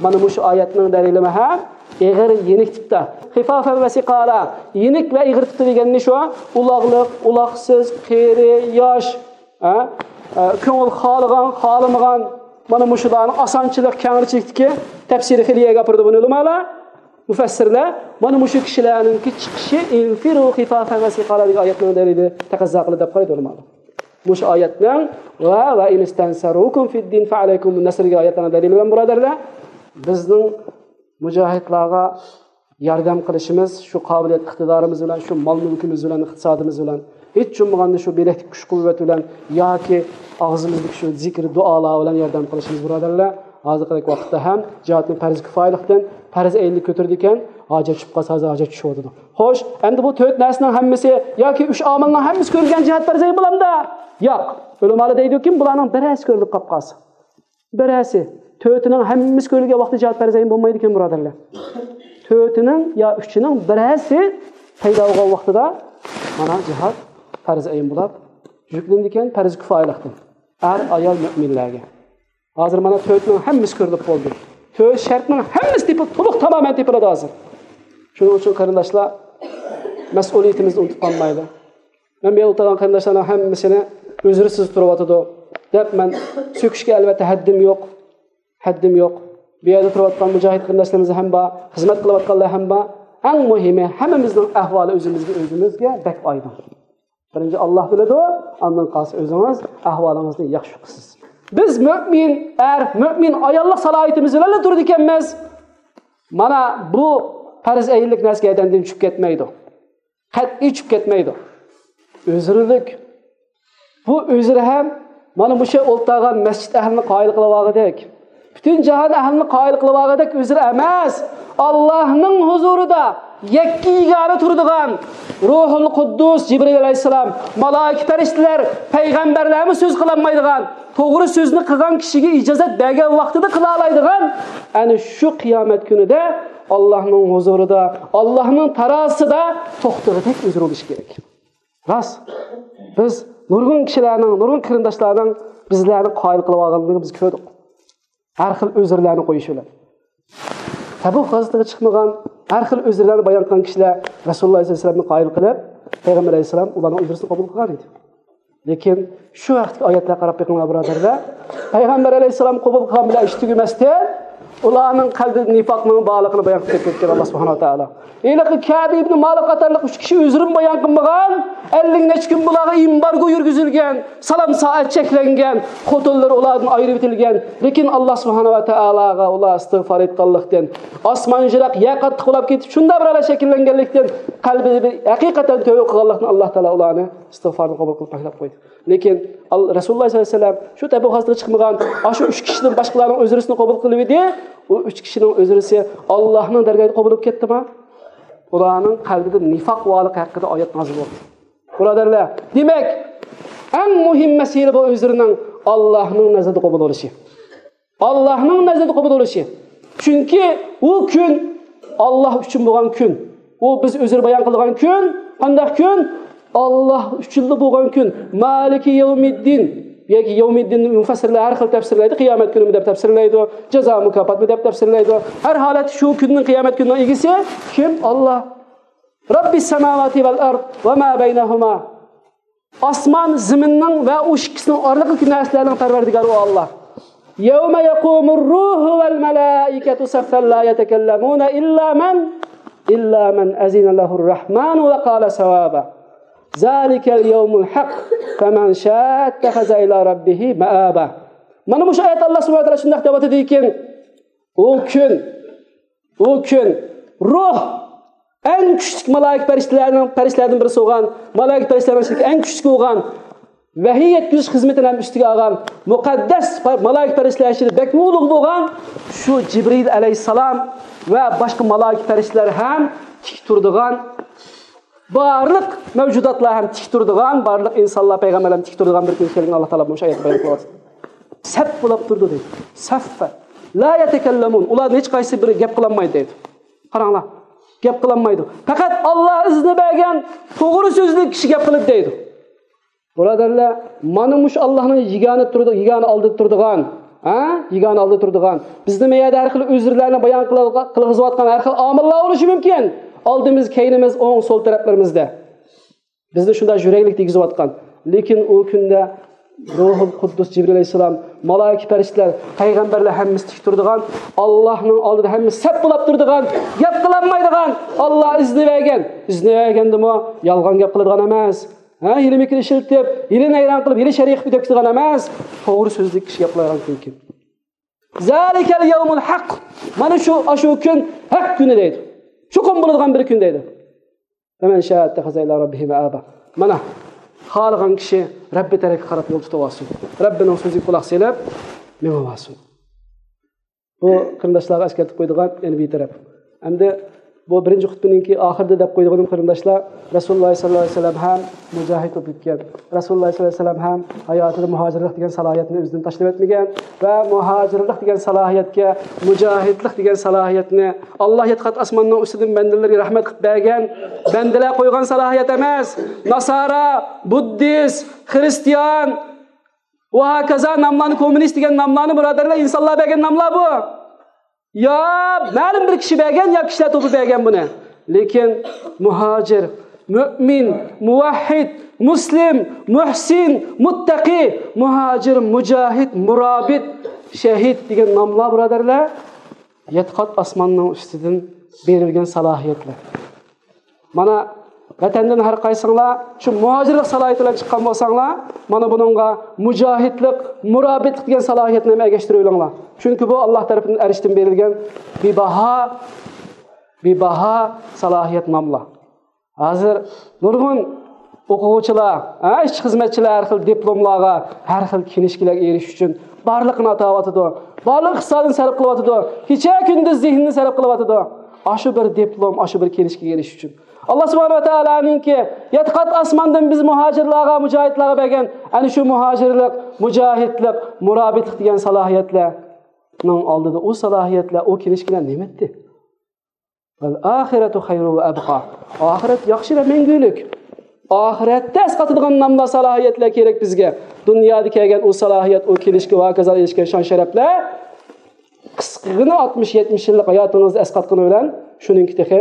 مانا مۇشۇ ئايەتنىڭ دەلىلىمۇ ھەم ئېغىر يېنىك تىپتا. «خىفافەن ۋە سىقالا»، يېنىك ۋە ئېغىر تىپتا دېگەننى شۇ، ئۇلاغلىق، ئۇلاقسىز، قېرى، ياش، ھە؟ ئە، كۆڭۈل خالىغان، خالىمىغان، مانا مۇشۇلارنىڭ ئاسانچىلىق، كەڭرىچىلىكتىكى تەپسىرى خىلىيەگە ئاپىرىدۇ بۇنى ئۆلىمالار، مۇفەسسىرلەر. مانا مۇشۇ كىشىلەرنىڭكى چىقىشى «ئىنفىرۇ خىفافەن ۋە سىقالا» دېگەن ئايەتنىڭ دەلىلى تەقەززا قىلىدۇ دەپ قارايدۇ ئۆلىمالار. مۇشۇ ئايەتنىڭ ۋە «ۋە ئىن ئىستەنسەرۇكۇم فىددىن فەئەلەيكۇمۇن نەسر» دېگەن ئايەتلەرنىڭ دەلىلى بىلەن بۇرادەرلەر، بىزنىڭ مۇجاھىدلارغا ياردەم قىلىشىمىز، شۇ قابىلىيەت ئىقتىدارىمىز بىلەن، شۇ مال مۈلكىمىز بىلەن، ئىقتىسادىمىز بىلەن، ھېچ بولمىغاندا شۇ بىلەكتىكى كۈچ قۇۋۋەت بىلەن ياكى ئاغزىمىزدىكى شۇ زىكىر دۇئالار بىلەن ياردەم قىلىشىمىز بۇرادەرلەر. ھازىرقىدەك ۋاقىتتا ھەم جىھادنى پەرز كىفايىلىقتىن پەرز ئەينلىك كۆتۈرىدىكەن، ھاجەت چۈشۈپ قالسا، ھازىر ھاجەت چۈشۈۋاتىدۇ. خوش، ئەمدى بۇ تۆت نەرسىنىڭ ھەممىسى ياكى ئۈچ ئامىلنىڭ ھەممىسى كۆرۈلگەن جىھاد پەرز ئەين بولامدا؟ ياق. ئۆلىمالار دەيدۇكى، بۇلارنىڭ بىرەرسى كۆرۈلۈپ قاپ قالسا. بىرەرسى، تۆتىنىڭ ھەممىسى كۆرۈلگەن ۋاقىتتا جىھاد پەرز ئەين بولمايدىكەن، بۇرادەرلەر. تۆتىنىڭ يا ئۈچىنىڭ بىرەرسى پەيدا بولغان ۋاقتىدا مانا جىھاد پەرز ئەين بولاپ يۈكلىنىدىكەن، پەرز كىفايىلىقتىن. ئەر، ئايال، مۆمىنلەرگە. ھازىر مانا تۆتنىڭ ھەممىسى كۆرۈلۈپ بولدى. تۆت شەرتنىڭ ھەممىسى تېپىل-، تولۇق تامامەن تېپىلىدۇ ھازىر. شۇنىڭ ئۈچۈن قېرىنداشلار، مەسئۇلىيىتىمىزنى ئۇنتۇپ قالمايلى. مەن بۇ يەردە ئولتۇرغان قېرىنداشلارنىڭ ھەممىسىنى ئۆزرىسىز تۇرۇۋاتىدۇ دەپ مەن سۆكۈشكە ئەلۋەتتە ھەددىم يوق. ھەددىم يوق. بۇ يەردە تۇرۇۋاتقان مۇجاھىد قېرىنداشلىرىمىز ھەم بار، خىزمەت قىلىۋاتقانلار ھەم بار. ئەڭ مۇھىمى، ھەممىمىزنىڭ ئەھۋالى ئۆزىمىزگە، ئۆزىمىزگە بەك ئايدىڭ. بىرىنچى، ئاللا بىلىدۇ، ئاندىن قالسا ئۆزىڭىز ئەھۋالىڭىزنى ياخشى قىلىسىز. بىز مۆمىن ئەر، مۆمىن ئاياللىق سالاھىيىتىمىز بىلەنلا تۇرىدىكەنمىز. مانا بۇ پەرز ئەينلىك نەرسە گەدەندىن چۈشۈپ كەتمەيدۇ. قەتئىي چۈشۈپ كەتمەيدۇ. ئۆزرىلىك. بۇ ئۆزرە ھەم مانا مۇشۇ ئولتۇرغان مەسچىت ئەھلىنى قايىل قىلىۋالغۇدەك، پۈتۈن جاھان ئەھلىنى قايىل قىلىۋالغۇدەك ئۆزرە ئەمەس. ئاللاھنىڭ ھۇزۇرىدا يەككە يېگانە تۇرىدىغان، روھۇل قۇددۇس، جىبرىل ئەلەيھىسسالام، مالائىكە پەرىشتىلەر، پەيغەمبەرلەرمۇ سۆز قىلالمايدىغان، توغرا سۆزنى قىلغان كىشىگە ئىجازەت بەرگەن ۋاقتىدا قىلالايدىغان، ئەنە شۇ قىيامەت كۈنىدە ئاللاھنىڭ ھۇزۇرىدا، ئاللاھنىڭ تارازىسىدا توختىغۇدەك ئۆزرە بولۇشى كېرەك. راست، بىز نۇرغۇن كىشىلەرنىڭ، نۇرغۇن قېرىنداشلارنىڭ بىزلەرنى قايىل قىلىۋالغانلىقىنى بىز كۆردۇق. ھەر خىل ئۆزرىلەرنى قويۇش بىلەن. تەبۇك غازىتىگە چىقمىغان، ھەر خىل ئۆزرىلەرنى بايان قىلغان كىشىلەر رەسۇلۇللا ئەلەيھىسسالامنى قايىل قىلىپ، پەيغەمبەر ئەلەيھىسسالام ئۇلارنىڭ ئۆزرىسىنى قوبۇل قىلغان ئىدى. لېكىن شۇ ھەقتىكى ئايەتلەرگە قاراپ بېقىڭلار، بۇرادەرلەر. پەيغەمبەر ئەلەيھىسسالام قوبۇل قىلغان بىلەن ئىش تۈگىمەستىن، ئۇلارنىڭ قەلبىدە نىفاقنىڭ بارلىقىنى بايان قىلىپ كەتكەن ئاللا سۇبھانەھۇ ۋە تائالا. ھېلىقى كەبى ئىبنى مالىك قاتارلىق ئۈچ كىشى ئۆزرىنى بايان قىلمىغان، ئەللىك نەچچە كۈن بۇلارغا ئېمبارگو يۈرگۈزۈلگەن، سالام سائەت چەكلەنگەن، خوتۇنلىرى ئۇلاردىن ئايرىۋېتىلگەن. لېكىن ئاللا سۇبھانەھۇ ۋە تائالاغا ئۇلار ئىستىغپار ئېيتقانلىقتىن، ئاسمان يىراق، يەر قاتتىق بولاپ كېتىپ، شۇنداق بىر ھالەت شەكىللەنگەنلىكتىن، قەلبىدە بىر ھەقىقەتەن تۆۋە قىلغانلىقتىن، ئاللا تائالا ئۇلارنى ئىستىغپارنى قوبۇل قىلىپ تاشلاپ قويدى. لېكىن ئال-، رەسۇلۇللا سەللەللاھۇ ئەلەيھى ۋەسەللەم شۇ تەبۇك غازىتىگە چىقمىغان، ئاشۇ ئۈچ كىشىدىن باشقىلارنىڭ ئۆزرىسىنى قوبۇل قىلىۋىدى. ئۇ ئۈچ كىشىنىڭ ئۆزرىسى ئاللانىڭ دەرگاھىدا قوبۇل بولۇپ كەتتىما؟ ئۇلارنىڭ قەلبىدە نىفاق بارلىقى ھەققىدە ئايەت نازىل بولدى. بۇرادەرلەر، دېمەك، ئەڭ مۇھىم مەسىلە بۇ ئۆزرىنىڭ ئاللانىڭ نەزىرىدە قوبۇل بولۇشى. ئاللانىڭ نەزىرىدە قوبۇل بولۇشى. چۈنكى ئۇ كۈن ئاللا ئۈچۈن بولغان كۈن. ئۇ بىز ئۆزرە بايان قىلىدىغان كۈن. قانداق كۈن؟ ئاللا ئۈچۈنلا بولغان كۈن. مالىكى يەۋمىددىن. ياكى يەۋمىددىننى مۇفەسسىرلەر ھەر خىل تەپسىرلەيدۇ. قىيامەت كۈنىمۇ دەپ تەپسىرلەيدۇ. جازا مۇكاپاتمۇ دەپ تەپسىرلەيدۇ. ھەر ھالەتتە شۇ كۈننىڭ، قىيامەت كۈنىنىڭ ئىگىسى كىم؟ ئاللا. رەببىس سەماۋاتى ۋەل ئەرد ۋە ما بەينەھۇما. ئاسمان زېمىننىڭ ۋە ئۇ ئىككىسىنىڭ ئارىلىقىدىكى نەرسىلەرنىڭ پەرۋەردىگارى ئۇ ئاللا. يَوْمَ يَقُومُ الرُّوحُ وَالْمَلَائِكَةُ صَفًّا لَا يَتَكَلَّمُونَ إِلَّا مَنْ، إِلَّا مَنْ أَذِنَ لَهُ الرَّحْمَنُ وَقَالَ صَوَابًا. ذَلِكَ الْيَوْمُ الْحَقُّ فَمَنْ شَاءَ اتَّخَذَ إِلَى رَبِّهِ مَآبًا. مانا مۇشۇ ئايەتتە ئاللا سۇبھانەھۇ ۋە تائالا شۇنداق دەۋاتىدىكەن، ئۇ كۈن ئۇ كۈن روھ ئەڭ كۈچلۈك مالائىكە پەرىشتىلەرنىڭ، پەرىشتىلەردىن بىرسى بولغان، مالائىكە پەرىشتىلەرنىڭ ئىچىدىكى ئەڭ كۈچلۈكى بولغان ۋەھىي يەتكۈزۈش خىزمىتىنى ھەم ئۈستىگە ئالغان مۇقەددەس پە-، مالائىكە پەرىشتىلەر ئىچىدە بەكمۇ ئۇلۇغ بولغان شۇ جىبرىل ئەلەيھىسسالام ۋە باشقا مالائىكە پەرىشتىلەر ھەم تىك تۇرىدىغان، بارلىق مەۋجۇداتلار ھەم تىك تۇرىدىغان، بارلىق ئىنسانلار، پەيغەمبەرلەر ھەم تىك تۇرىدىغان بىر كۈن كەلگىنىنى ئاللا تائالا مۇشۇ ئايەتتە بايان قىلىۋاتىدۇ. سەپ بولاپ تۇرىدۇ دەيدۇ. سەففە. لا يتكلمون. ئۇلار ھېچقايسى بىر گەپ قىلالمايدۇ دەيدۇ. قاراڭلار، گەپ قىلالمايدۇ. پەقەت ئاللا ئىزنى بەرگەن توغرا سۆزلۈك كىشى گەپ قىلىدۇ دەيدۇ. بۇرادەرلەر، مانا مۇشۇ ئاللانىڭ يېگانە تۇرىدۇ، يېگانە ئالدىدا تۇرىدىغان، ھە؟ يېگانە ئالدىدا تۇرىدىغان. بىزنى مەيەدە ھەر خىل ئۆزرىلەرنى بايان قىلغا-، قىلغۇزۇۋاتقان ھەر خىل ئامىللار بولۇشى مۇمكىن. ئالدىمىز، كەينىمىز، ئوڭ، سول تەرەپلىرىمىزدە. بىزنى شۇنداق يۈرەكلىك دېگۈزۈۋاتقان. لېكىن ئۇ كۈندە روھۇل قۇددۇس جىبرىل ئەلەيھىسسالام، مالائىكە پەرىشتىلەر، پەيغەمبەرلەر ھەممىسى تىك تۇرىدىغان، ئاللانىڭ ئالدىدا ھەممىسى سەپ بولاپ تۇرىدىغان، گەپ قىلالمايدىغان، ئاللا ئىزنى بەرگەن. ئىزنى بەرگەندىمۇ يالغان گەپ قىلىدىغان ئەمەس. ھە، ھىيلە-مىكىر ئىشلىتىپ، ھىيلە-نەيرەڭ قىلىپ، ھىيلە-شەرىكە دەپ كېتىدىغان ئەمەس. توغرا سۆزلۈك كىشى گەپ قىلىدىغان كۈن. ذلك اليوم الحق. مانا شۇ، ئاشۇ كۈن ھەق كۈنى دەيدۇ. چوقۇم بولىدىغان بىر كۈن دەيدۇ. فمن شاء اتخذ إلى ربه مآبا. مانا، خالىغان كىشى رەببى تەرەپكە قاراپ يول تۇتۇۋالسۇن. رەببىنىڭ سۆزىگە قۇلاق سېلىپ مېڭىۋالسۇن. بۇ قېرىنداشلارغا ئەسكەرتىپ قويىدىغان يەنە بىر تەرەپ. ئەمدى بۇ بىرىنچى خۇتبىنىڭكى ئاخىرىدا دەپ قويىدىغىنىم، قېرىنداشلار، رەسۇلۇللا سەللەللاھۇ ئەلەيھى ۋەسەللەم ھەم مۇجاھىد بولۇپ ئۆتكەن. رەسۇلۇللا سەللەللاھۇ ئەلەيھى ۋەسەللەم ھەم ھاياتىدا مۇھاجىرلىق دېگەن سالاھىيەتنى ئۆزىدىن تاشلىۋەتمىگەن ۋە مۇھاجىرلىق دېگەن سالاھىيەتكە، مۇجاھىدلىق دېگەن سالاھىيەتنى ئاللا يەتتە قات ئاسماننىڭ ئۈستىدىن بەندىلىرىگە رەھمەت قىلىپ بەرگەن بەندىلەر قويغان سالاھىيەت ئەمەس. ناسارا، بۇددىست، خىرىستىيان، ۋە ھاكازا ناملارنى، كوممۇنىست دېگەن ناملارنى، بۇرادەرلەر، ئىنسانلار بەرگەن ناملار بۇ. يا مەلۇم بىر كىشى بەرگەن، يا كىشىلەر توپى بەرگەن بۇنى. لېكىن مۇھاجىر، مۆمىن، مۇۋەھھىد، مۇسلىم، مۇھسىن، مۇتتەقى، مۇھاجىر، مۇجاھىد، مۇرابىت، شەھىد دېگەن ناملار، بۇرادەرلەر، يەتتە قات ئاسماننىڭ ئۈستىدىن بېرىلگەن سالاھىيەتلەر. مانا، ۋەتەندىن ھەر قايسىڭلار شۇ مۇھاجىرلىق سالاھىيىتى بىلەن چىققان بولساڭلار، مانا بۇنىڭغا مۇجاھىدلىق، مۇرابىتلىق دېگەن سالاھىيەتنى ھەم ئەگەشتۈرۈۋېلىڭلار. چۈنكى بۇ، ئاللا تەرىپىدىن ئەرشتىن بېرىلگەن بىباھا، بىباھا سالاھىيەت ناملار. ھازىر نۇرغۇن ئوقۇغۇچىلار، ھە، ئىشچى خىزمەتچىلەر ھەر خىل دىپلوملارغا، ھەر خىل كىنىشكىلەرگە ئېرىشىش ئۈچۈن بارلىقىنى ئاتاۋاتىدۇ. بارلىق ئىقتىسادىنى سەرپ قىلىۋاتىدۇ. كېچە-كۈندۈز زېھنىنى سەرپ قىلىۋاتىدۇ. ئاشۇ بىر دىپلوم، ئاشۇ بىر كىنىشكىگە ئېرىشىش ئۈچۈن. ئاللا سۇبھانەھۇ ۋە تائالانىڭكى يەتتە قات ئاسماندىن بىز مۇھاجىرلارغا، مۇجاھىدلارغا بەرگەن ئەنە شۇ مۇھاجىرلىق، مۇجاھىدلىق، مۇرابىتلىق دېگەن سالاھىيەتلەرنىڭ ئالدىدا ئۇ سالاھىيەتلەر، ئۇ كىنىشكىلەر نېمە ئىدى؟ ۋەل ئاخىرەتۇ خەيرۇ ۋە ئەبقا. ئاخىرەت ياخشى ۋە مەڭگۈلۈك. ئاخىرەتتە ئەسقاتىدىغان ناملار، سالاھىيەتلەر كېرەك بىزگە. دۇنيادا كەلگەن ئۇ سالاھىيەت، ئۇ كىنىشكا ۋە ھاكازا ئېرىشكەن شان-شەرەپلەر قىسقىغىنە ئاتمىش يەتمىش يىللىق ھاياتىڭىزدا ئەسقاتقىنى بىلەن شۇنىڭكى تېخى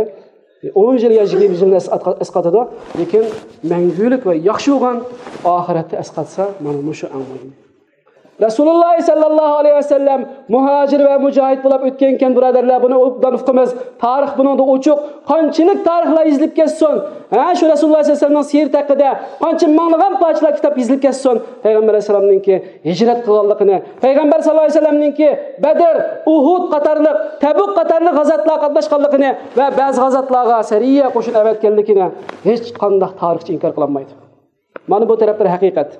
ئون يىل يا يىگىرمە يىلنى ئەسقاتقا-، ئەسقاتىدۇ. لېكىن مەڭگۈلۈك ۋە ياخشى بولغان ئاخىرەتتە ئەسقاتسا، مانا مۇشۇ ئەڭ مۇھىم. رەسۇلۇللا سەللەللاھۇ ئەلەيھى ۋەسەللەم مۇھاجىر ۋە مۇجاھىد بولۇپ ئۆتكەنكەن، بۇرادەرلەر، بۇنى ئوبدان ئۇقىمىز. تارىخ بۇنىڭدا ئوچۇق. قانچىلىك تارىخلار يېزىلىپ كەتسۇن، ھە، شۇ رەسۇلۇللا سەللەللاھۇ ئەلەيھى ۋەسەللەمنىڭ سىيرىتى ھەققىدە قانچە مىڭلىغان پارچىلار كىتاب يېزىلىپ كەتسۇن، پەيغەمبەر ئەلەيھىسسالامنىڭكى ھىجرەت قىلغانلىقىنى، پەيغەمبەر سەللەللاھۇ ئەلەيھى ۋەسەللەمنىڭكى بەدر، ئۇھۇد قاتارلىق، تەبۇك قاتارلىق غازاتلارغا قاتناشقانلىقىنى ۋە بەزى غازاتلارغا سەرىيە قوشۇن ئەۋەتكەنلىكىنى ھېچقانداق تارىخچى ئىنكار قىلالمايدۇ. مانا بۇ تەرەپلىرى ھەقىقەت.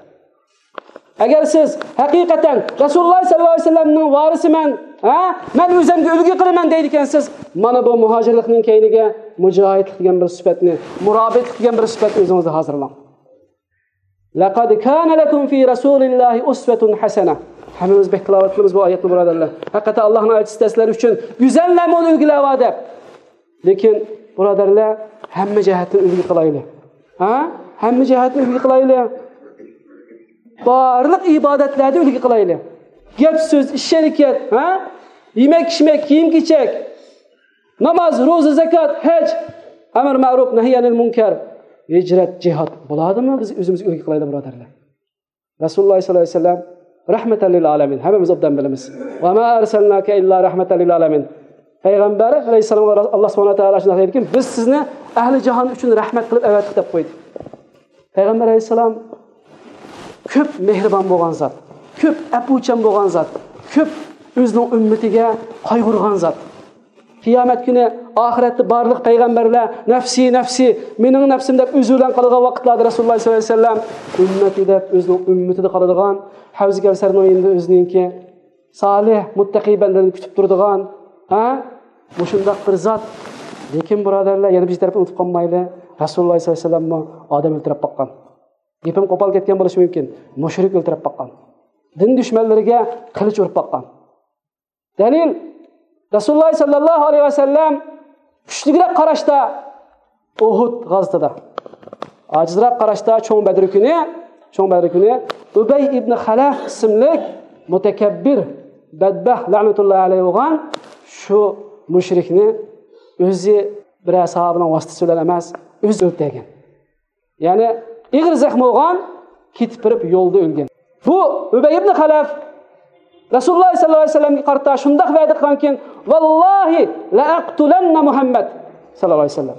ئەگەر سىز ھەقىقەتەن رەسۇلۇللا سەللەللاھۇ ئەلەيھى ۋەسەللەمنىڭ ۋارىسىمەن، ھە، مەن ئۆزۈمگە ئۈلگە قىلىمەن دەيدىكەنسىز، مانا بۇ مۇھاجىرلىقنىڭ كەينىگە مۇجاھىدلىق دېگەن بىر سۈپەتنى، مۇرابىتلىق دېگەن بىر سۈپەتنى ئۆزىڭىزدە ھازىرلاڭ. لەقەد كانە لەكۇم فى رەسۇلىللاھى ئۇسۋەتۇن ھەسەنە. ھەممىمىز بەك تىلاۋەت قىلىمىز بۇ ئايەتنى، بۇرادەرلەر. ھەقىقەتەن ئاللاھنىڭ ئەلچىسىدە سىلەر ئۈچۈن گۈزەل نەمۇنە، ئۈلگىلەر بار دەپ. لېكىن، بۇرادەرلەر، ھەممە جەھەتتىن ئۈلگە قىلايلى. ھە؟ ھەممە جەھەتتىن ئۈلگە قىلايلى. بارلىق ئىبادەتلەردە ئۈلگە قىلايلى. گەپ-سۆز، ئىش-ھەرىكەت، ھە؟ يېمەك-ئىچمەك، كىيىم-كېچەك، ناماز، روزا، زاكات، ھەج، ئەمر مەرۇپ، نەھي ئەنىل مۇنكەر، ھىجرەت، جىھاد. بۇلاردىمۇ بىز ئۆزىمىزگە ئۈلگە قىلايلى، بۇرادەرلەر. رەسۇلۇللا سەللەللاھۇ ئەلەيھى ۋەسەللەم رەھمەتەن لىل ئالەمىن. ھەممىمىز ئوبدان بىلىمىز. ۋە ما ئەرسەلناكە ئىللا رەھمەتەن لىل ئالەمىن. پەيغەمبەر ئەلەيھىسسالامغا ئاللا سۇبھانەھۇ ۋە تائالا شۇنداق دەيدىكى، بىز سىزنى ئەھلى جاھان ئۈچۈن رەھمەت قىلىپ ئەۋەتتۇق دەپ قويدى. پەيغەمبەر ئەلەيھىسسالام كۆپ مېھرىبان بولغان زات، كۆپ ئەپۇچان بولغان زات، كۆپ ئۆزىنىڭ ئۈممىتىگە قايغۇرغان زات. قىيامەت كۈنى، ئاخىرەتتە بارلىق پەيغەمبەرلەر نەفسى، نەفسى، مېنىڭ نەپسىم دەپ ئۆزى بىلەن قالىدىغان ۋاقىتلاردا رەسۇلۇللا سەللەللاھۇ ئەلەيھى ۋەسەللەم ئۈممىتى دەپ ئۆزىنىڭ ئۈممىتىدە قالىدىغان، ھەۋزى كەۋسەرنىڭ يېنىدا ئۆزىنىڭكى سالىھ، مۇتتەقىي بەندىلىرىنى كۈتۈپ تۇرىدىغان، ھە؟ مۇشۇنداق بىر زات. لېكىن، بۇرادەرلەر، يەنە بىر تەرەپنى ئۇنتۇپ قالمايلى. رەسۇلۇللا سەللەللاھۇ ئەلەيھى ۋەسەللەممۇ ئادەم ئۆلتۈرۈپ باققان. گېپىم قوپال كەتكەن بولۇشى مۇمكىن. مۇشرىك ئۆلتۈرۈپ باققان. دىن دۈشمەنلىرىگە قىلىچ ئۇرۇپ باققان. دەلىل، رەسۇلۇللاھ سەللەللاھۇ ئەلەيھى ۋەسەللەم كۈچلۈكرەك قاراشتا ئۇھۇد غازىتىدا، ئاجىزراق قاراشتا چوڭ بەدر كۈنى، چوڭ بەدر كۈنى ئۇبەي ئىبنى خەلەف ئىسىملىك مۇتەكەببىر، بەدبەخت، لەنەتۇللاھى ئەلەيھى بولغان شۇ مۇشرىكنى ئۆزى بىرەر ساھابىنىڭ ۋاسىتىسى بىلەن ئەمەس، ئۆزى ئۆلتۈرگەن. يەنى ئېغىر زەخمى بولغان، كېتىپ بېرىپ يولدا ئۆلگەن. بۇ ئۇبەي ئىبنى خەلەف رەسۇلۇللاھ سەللەللاھۇ ئەلەيھى ۋەسەللەمگە قارىتا شۇنداق ۋەدە قىلغانكىن، ۋاللاھى لەئەقتۇلەننە مۇھەممەد سەللەللاھۇ ئەلەيھى ۋەسەللەم.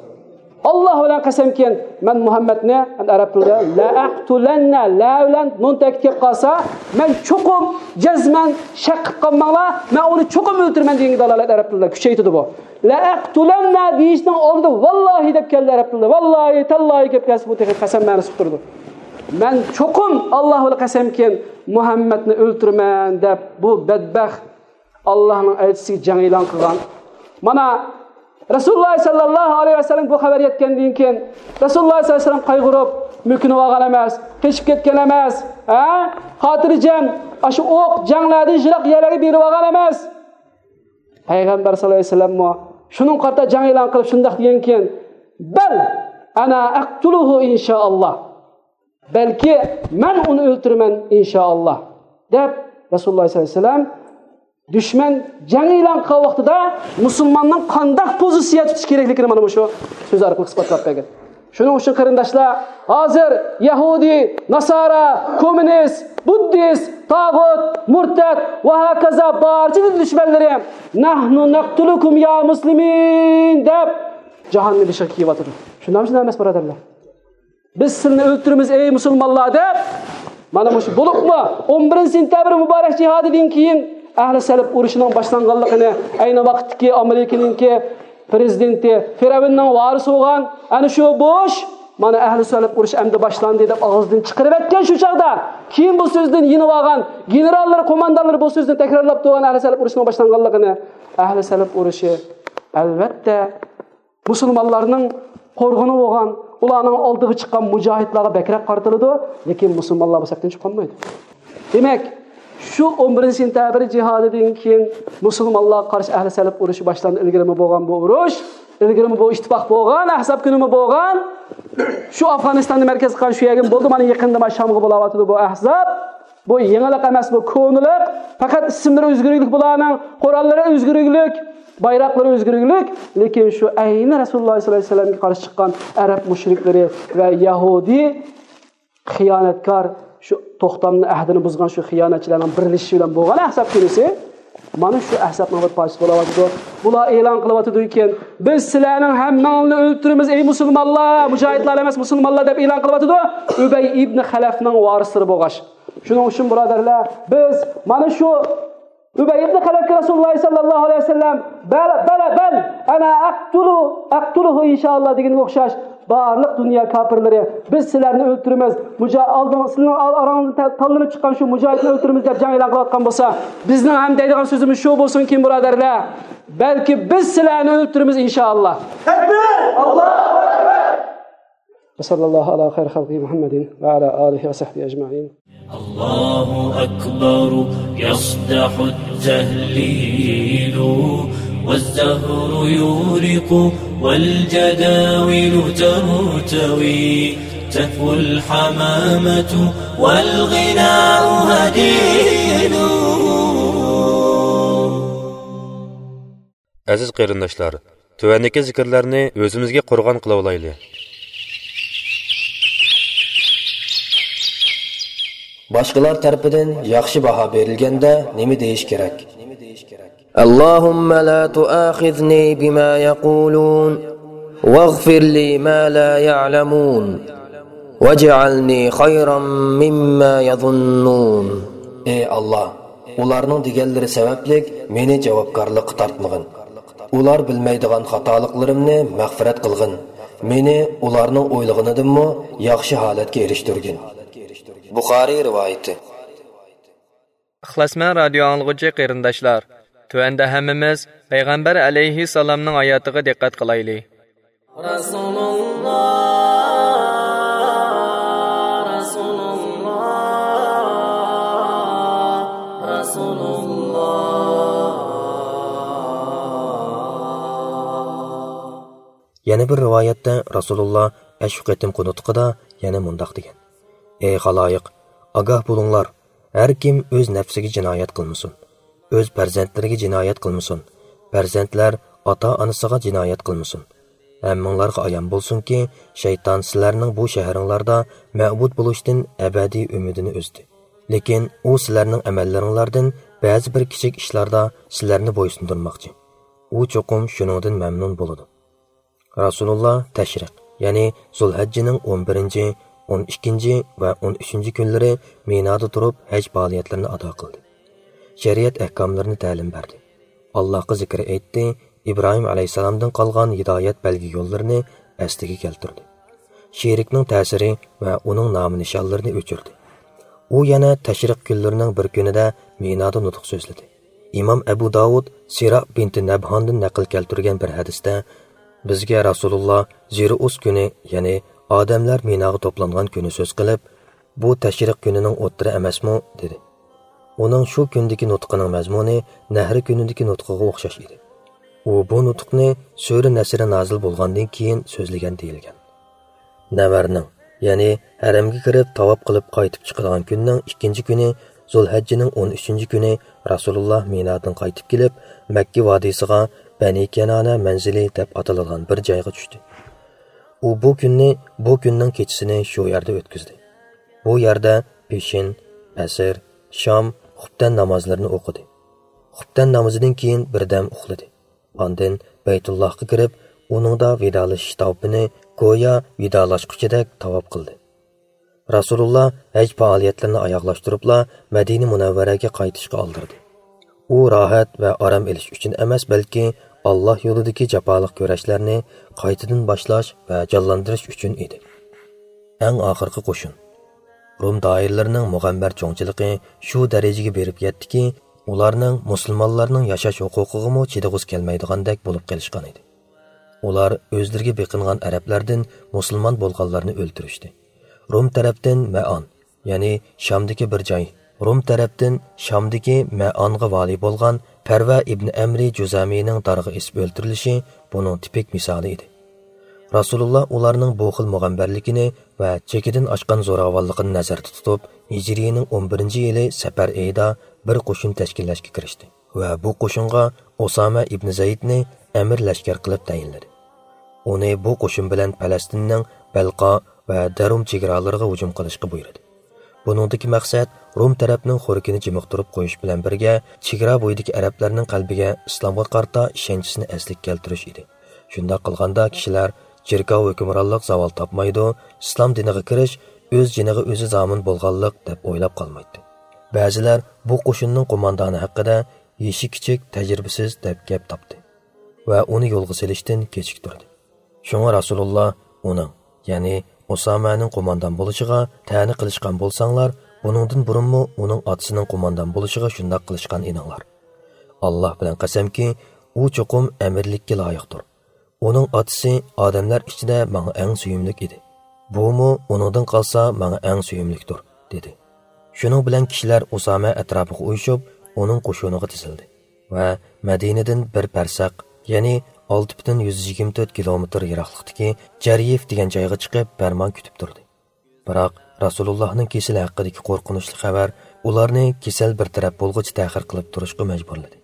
ئاللاھ بىلەن قەسەمكىن، مەن مۇھەممەدنى، ئەرەب تىلىدا لەئەقتۇلەننە، لە بىلەن نۇن تەكىت كەپ قالسا، مەن چوقۇم، جەزمەن، شەك قىلىپ قالماڭلار، مەن ئۇنى چوقۇم ئۆلتۈرىمەن دېگەنگە دالالەت ئەرەب تىلىدا كۈچەيتىدۇ بۇ. لەئەقتۇلەننە دېيىشنىڭ ئالدىدا ۋاللاھى دەپ كەلدى ئەرەب تىلىدا. ۋاللاھى، تاللاھى كەپ كەلسە، بۇ تېخى قەسەم مەنىسى بولۇپ تۇرىدۇ. مەن چوقۇم ئاللاھ بىلەن قەسەمكىن، مۇھەممەدنى ئۆلتۈرىمەن دەپ، بۇ بەدبەخت ئاللاھنىڭ ئەلچىسىگە جەڭ ئېلان قىلغان. مانا، رەسۇلۇللاھ سەللەللاھۇ ئەلەيھى ۋەسەللەم بۇ خەۋەر يەتكەندىن كېيىن، رەسۇلۇللاھ سەللەللاھۇ ئەلەيھى ۋەسەللەم قايغۇرۇپ، مۆكۈنۈۋالغان ئەمەس، قېچىپ كەتكەن ئەمەس، ھە؟ خاتىرجەم، ئاشۇ ئوق، جەڭلەردىن يىراق يەرلەرگە بېرىۋالغان ئەمەس. پەيغەمبەر سەللەللاھۇ ئەلەيھى ۋەسەللەممۇ شۇنىڭغا قارىتا جەڭ ئېلان قىلىپ شۇنداق دېگەنكىن، بەل ئەنا ئەقتۇلۇھۇ ئىنشائاللاھ. بەلكى مەن ئۇنى ئۆلتۈرىمەن ئىنشائاللاھ، دەپ رەسۇلۇللاھ سەللەللاھۇ ئەلەيھى ۋەسەللەم دۈشمەن جەڭ ئېلان قىلغان ۋاقتىدا مۇسۇلماننىڭ قانداق پوزىتسىيە تۇتۇش كېرەكلىكىنى مانا مۇشۇ سۆز ئارقىلىق ئىسپاتلاپ بەرگەن. شۇنىڭ ئۈچۈن قېرىنداشلار، ھازىر يەھۇدىي، ناسارا، كوممۇنىست، بۇددىست، تاغۇت، مۇرتەد ۋە ھاكازا بارچە دىن دۈشمەنلىرى، نەھنۇ نەقتۇلۇكۇم يا مۇسلىمىن دەپ جاھاننى بېشىغا كىيىۋاتىدۇ. شۇنداقمۇ شۇنداق ئەمەس، بۇرادەرلەر؟ بىز سىلىنى ئۆلتۈرىمىز، ئەي مۇسۇلمانلار، دەپ، مانا مۇشۇ بولۇپمۇ ئون بىرىنچى سېنتەبىر مۇبارەك جىھادىدىن كېيىن ئەھلى سەلەپ ئۇرۇشىنىڭ باشلانغانلىقىنى ئەينى ۋاقىتتىكى ئامېرىكىنىڭكى پرېزىدېنتى، فىرئەۋننىڭ ۋارىسى بولغان ئەنە شۇ بۇش، مانا ئەھلى سەلەپ ئۇرۇشى ئەمدى باشلاندى دەپ ئاغزىدىن چىقىرىۋەتكەن شۇ چاغدا، كېيىن بۇ سۆزدىن يېنىۋالغان گېنېراللىرى، قوماندانلىرى بۇ سۆزنى تەكرارلاپ تۇرغان ئەھلى سەلەپ ئۇرۇشىنىڭ باشلانغانلىقىنى. ئەھلى سەلەپ ئۇرۇشى، ئەلۋەتتە، مۇسۇلمانلارنىڭ قورغىنى بولغان، ئۇلارنىڭ ئالدىغا چىققان مۇجاھىدلارغا بەكرەك قارىتىلىدۇ، لېكىن مۇسۇلمانلار بۇ سەپتىن چىقىپ قالمايدۇ. دېمەك، شۇ ئون بىرىنچى سېنتەبىر جىھادىدىن كېيىن مۇسۇلمانلارغا قارشى ئەھلى سەلەپ ئۇرۇشى باشلاندى. ئىلگىرىمۇ بولغان بۇ ئۇرۇش، ئىلگىرىمۇ بۇ ئىتتىپاق بولغان، ئەھزاب كۈنىمۇ بولغان. شۇ ئافغانىستاننى مەركەز قىلغان شۇ يەرگىمۇ بولدى، مانا يېقىندا مانا شامغا بولاۋاتىدۇ بۇ ئەھزاب. بۇ يېڭىلىق ئەمەس، بۇ كونىلىق. پەقەت ئىسىملىرى ئۆزگىرىكلىك بۇلارنىڭ، قوراللىرى ئۆزگىرىكلىك، بايراقلىرى ئۆزگىرىكلىك. لېكىن شۇ ئەينى رەسۇلۇللاھ سەللەللاھۇ ئەلەيھى ۋەسەللەمگە قارشى چىققان ئەرەب مۇشرىكلىرى ۋە يەھۇدىي خىيانەتكار، شۇ توختامنى، ئەھدىنى بۇزغان شۇ خىيانەتچىلەرنىڭ بىرلىشىشى بىلەن بولغان ئەھزاب كۈنىسى مانا شۇ ئەھزابنىڭ بىر پارچىسى بولاۋاتىدۇ. بۇلار ئېلان قىلىۋاتىدۇكەن، بىز سىلەرنىڭ ھەممىڭلارنى ئۆلتۈرىمىز، ئەي مۇسۇلمانلار، مۇجاھىدلار ئەمەس، مۇسۇلمانلار، دەپ ئېلان قىلىۋاتىدۇ. ئۇبەي ئىبنى خەلەفنىڭ ۋارىسلىرى بولغاچ. شۇنىڭ ئۈچۈن، بۇرادەرلەر، بىز مانا شۇ ئۇبەي ئىبنى خەلەفكە رەسۇلۇللاھ سەللەللاھۇ ئەلەيھى ۋەسەللەم، بەل، بەلە، بەل، ئەنا ئەقتۇلۇ، ئەقتۇلۇھۇ ئىنشائاللاھ دېگەنگە ئوخشاش، بارلىق دۇنيا كاپىرلىرى، بىز سىلەرنى ئۆلتۈرىمىز، مۇجا-، ئالدىڭ-، سىلەرنىڭ ئار-، ئاراڭلاردىن تە-، تاللىنىپ چىققان شۇ مۇجاھىدنى ئۆلتۈرىمىز دەپ جەڭ ئېلان قىلىۋاتقان بولسا، بىزنىڭ ھەم دەيدىغان سۆزىمىز شۇ بولسۇنكىن، بۇرادەرلەر، بەلكى بىز سىلەرنى ئۆلتۈرىمىز ئىنشائاللاھ. تەكبىر! ئاللاھۇ ئەكبەر! وصلى الله على خير خلقه محمد وعلى آله وصحبه أجمعين. الله أكبر، يصدح التهليل، والزهر يورق، والجداول ترتوي، تهفو الحمامة، والغناء هديل. ئەزىز قېرىنداشلار، تۆۋەندىكى زىكىرلەرنى ئۆزىمىزگە قورغان قىلىۋالايلى. باشقىلار تەرىپىدىن ياخشى باھا بېرىلگەندە نېمە دېيىش كېرەك؟ اللهم لا تؤاخذني بما يقولون، واغفر لي ما لا يعلمون، واجعلني خيرا مما يظنون. ئەي ئاللاھ، ئۇلارنىڭ دېگەنلىرى سەۋەبلىك مېنى جاۋابكارلىققا تارتمىغىن. ئۇلار بىلمەيدىغان خاتالىقلىرىمنى مەغپىرەت قىلغىن. مېنى ئۇلارنىڭ ئويلىغىنىدىنمۇ ياخشى ھالەتكە ئېرىشتۈرگىن. بۇخارىي رىۋايىتى. ئىخلاسمەن رادىيو ئاڭلىغۇچى قېرىنداشلار، تۆۋەندە ھەممىمىز پەيغەمبەر ئەلەيھىسسالامنىڭ ھاياتىغا دىققەت قىلايلى. رەسۇلۇللاھ، رەسۇلۇللاھ، رەسۇلۇللاھ. يەنە بىر رىۋايەتتە رەسۇلۇللا ئەشۇ قېتىمقى نۇتقىدا يەنە مۇنداق دېگەن: «ئەي خالايىق، ئاگاھ بولۇڭلار، ھەر كىم ئۆز نەپسىگە جىنايەت قىلمىسۇن، ئۆز پەرزەنتلىرىگە جىنايەت قىلمىسۇن، پەرزەنتلەر ئاتا-ئانىسىغا جىنايەت قىلمىسۇن. ھەممىڭلارغا ئايان بولسۇنكى، شەيتان سىلەرنىڭ بۇ شەھىرىڭلاردا مەبۇد بولۇشتىن ئەبەدىي ئۈمىدىنى ئۈزدى. لېكىن ئۇ سىلەرنىڭ ئەمەللىرىڭلاردىن بەزى بىر كىچىك ئىشلاردا سىلەرنى بويسۇندۇرماقچى. ئۇ چوقۇم شۇنىڭدىن مەمنۇن بولىدۇ.» رەسۇلۇللا تەشرىق، يەنى زۇلھەججىنىڭ ئون بىرىنچى، ئون ئىككىنچى ۋە ئون ئۈچىنچى كۈنلىرى مىنادا تۇرۇپ ھەج پائالىيەتلىرىنى ئادا قىلدى. شەرىئەت ئەھكاملىرىنى تەلىم بەردى. ئاللاھقا زىكىر ئېيتتى، ئىبراھىم ئەلەيھىسسالامدىن قالغان ھىدايەت بەلگە يوللىرىنى ئەسلىگە كەلتۈردى. شېرىكنىڭ تەسىرى ۋە ئۇنىڭ نامى نىشانلىرىنى ئۆچۈردى. ئۇ يەنە تەشرىق كۈنلىرىنىڭ بىر كۈنىدە مىنادا نۇتۇق سۆزلىدى. ئىمام ئەبۇ داۋۇد سىرا بىنتى نەبھاندىن نەقىل كەلتۈرگەن بىر ھەدىستە، بىزگە رەسۇلۇللا زىرۇئۇس كۈنى، يەنى ئادەملەر مىناغا توپلانغان كۈنى سۆز قىلىپ، «بۇ تەشرىق كۈنىنىڭ ئوتتۇرى ئەمەسمۇ؟» دېدى. ئۇنىڭ شۇ كۈندىكى نۇتقىنىڭ مەزمۇنى نەھرى كۈنىدىكى نۇتقىغا ئوخشاش ئىدى. ئۇ بۇ نۇتۇقنى سۈرە نەسر نازىل بولغاندىن كېيىن سۆزلىگەن دېيىلگەن. نەۋەرنىڭ، يەنى ھەرەمگە كىرىپ تاۋاپ قىلىپ قايتىپ چىقىدىغان كۈننىڭ ئىككىنچى كۈنى، زۇلھەججىنىڭ ئون ئۈچىنچى كۈنى رەسۇلۇللا مىنادىن قايتىپ كېلىپ، مەككە ۋادىسىغا بەنى كەنانە مەنزىلى دەپ ئاتىلىدىغان بىر جايغا چۈشتى. ئۇ بۇ كۈننى، بۇ كۈننىڭ كېچىسىنى شۇ يەردە ئۆتكۈزدى. بۇ يەردە پېشىن، ئەسىر، شام، خۇپتەن نامازلىرىنى ئوقۇدى. خۇپتەن نامىزىدىن كېيىن بىردەم ئۇخلىدى. ئاندىن بەيتۇللاھقا كىرىپ، ئۇنىڭدا ۋىدالىشىش تاۋىپىنى گويا ۋىدالاشقۇچىدەك تاۋاپ قىلدى. رەسۇلۇللا ھەج پائالىيەتلىرىنى ئاياغلاشتۇرۇپلا مەدىنە مۇنەۋۋەرەگە قايتىشقا ئالدىردى. ئۇ راھەت ۋە ئارام ئېلىش ئۈچۈن ئەمەس، بەلكى ئاللا يولىدىكى جاپالىق كۈرەشلەرنى قايتىدىن باشلاش ۋە جانلاندۇرۇش ئۈچۈن ئىدى. ئەڭ ئاخىرقى قوشۇن. روم دائىرىلىرىنىڭ مۇغەمبەر چوڭچىلىقى شۇ دەرىجىگە بېرىپ يەتتىكى، ئۇلارنىڭ مۇسۇلمانلارنىڭ ياشاش ھوقۇقىغىمۇ چىدىغۇسى كەلمەيدىغاندەك بولۇپ قېلىشقان ئىدى. ئۇلار ئۆزلىرىگە بېقىنغان ئەرەبلەردىن مۇسۇلمان بولغانلارنى ئۆلتۈرۈشتى. روم تەرەپتىن مەئان، يەنى شامدىكى بىر جاي، روم تەرەپتىن شامدىكى مەئانغا ۋالىي بولغان پەرۋە ئىبنى ئەمرى جۇزامىنىڭ دارغا ئېسىپ ئۆلتۈرۈلۈشى بۇنىڭ تىپىك مىسالى ئىدى. رەسۇلۇللا ئۇلارنىڭ بۇ خىل مۇغەمبەرلىكىنى ۋە چېكىدىن ئاشقان زوراۋانلىقىنى نەزەردە تۇتۇپ، ھىجرىينىڭ ئون بىرىنچى يىلى سەپەر ئېيىدا بىر قوشۇن تەشكىللەشكە كىرىشتى ۋە بۇ قوشۇنغا ئۇسامە ئىبنى زەيدنى ئەمىر لەشكەر قىلىپ تەيىنلىدى. ئۇنى بۇ قوشۇن بىلەن پەلەستىننىڭ بەلقا ۋە دەرۇم چېگرالىرىغا ھۇجۇم قىلىشقا بۇيرۇدى. بۇنىڭدىكى مەقسەت روم تەرەپنىڭ خورىكىنى جىمىقتۇرۇپ قويۇش بىلەن بىرگە، چېگرا بويىدىكى ئەرەبلەرنىڭ قەلبىگە ئىسلامغا قارىتا ئىشەنچىسىنى ئەسلىگە كەلتۈرۈش ئىدى. شۇنداق قىلغاندا كىشىلەر جىركاۋ ھۆكۈمرانلىق زاۋال تاپمايدۇ، ئىسلام دىنىغا كىرىش ئۆز جېنىغا ئۆزى زامىن بولغانلىق دەپ ئويلاپ قالمايتتى. بەزىلەر بۇ قوشۇننىڭ قوماندانى ھەققىدە يېشى كىچىك، تەجرىبىسىز دەپ گەپ تاپتى ۋە ئۇنى يولغا سېلىشتىن كېچىكتۈردى. شۇڭا رەسۇلۇللا ئۇنىڭ، يەنى ئۇسامەنىڭ قوماندان بولۇشىغا تەنە قىلىشقان بولساڭلار، بۇنىڭدىن بۇرۇنمۇ ئۇنىڭ ئاتىسىنىڭ قوماندان بولۇشىغا شۇنداق قىلىشقان ئىدىڭلار. ئاللا بىلەن قەسەمكى، ئۇ چوقۇم ئەمىرلىككە لايىقتۇر. ئۇنىڭ ئاتىسى ئادەملەر ئىچىدە ماڭا ئەڭ سۆيۈملۈك ئىدى. بۇمۇ ئۇنىڭدىن قالسا ماڭا ئەڭ سۆيۈملۈكتۇر، دېدى. شۇنىڭ بىلەن كىشىلەر ئۇسامە ئەتراپىغا ئۇيۇشۇپ، ئۇنىڭ قوشۇنىغا تىزىلدى ۋە مەدىنىدىن بىر پەرسەق، يەنى ئالتە پۈتۈن يۈز يىگىرمە تۆت كىلومېتىر يىراقلىقتىكى جەريىف دېگەن جايغا چىقىپ بەرمان كۈتۈپ تۇردى. بىراق رەسۇلۇللاھنىڭ كېسىلى ھەققىدىكى قورقۇنچلۇق خەۋەر ئۇلارنى كېسەل بىر تەرەپ بولغۇچە تەخىر قىلىپ تۇرۇشقا مەجبۇرلىدى.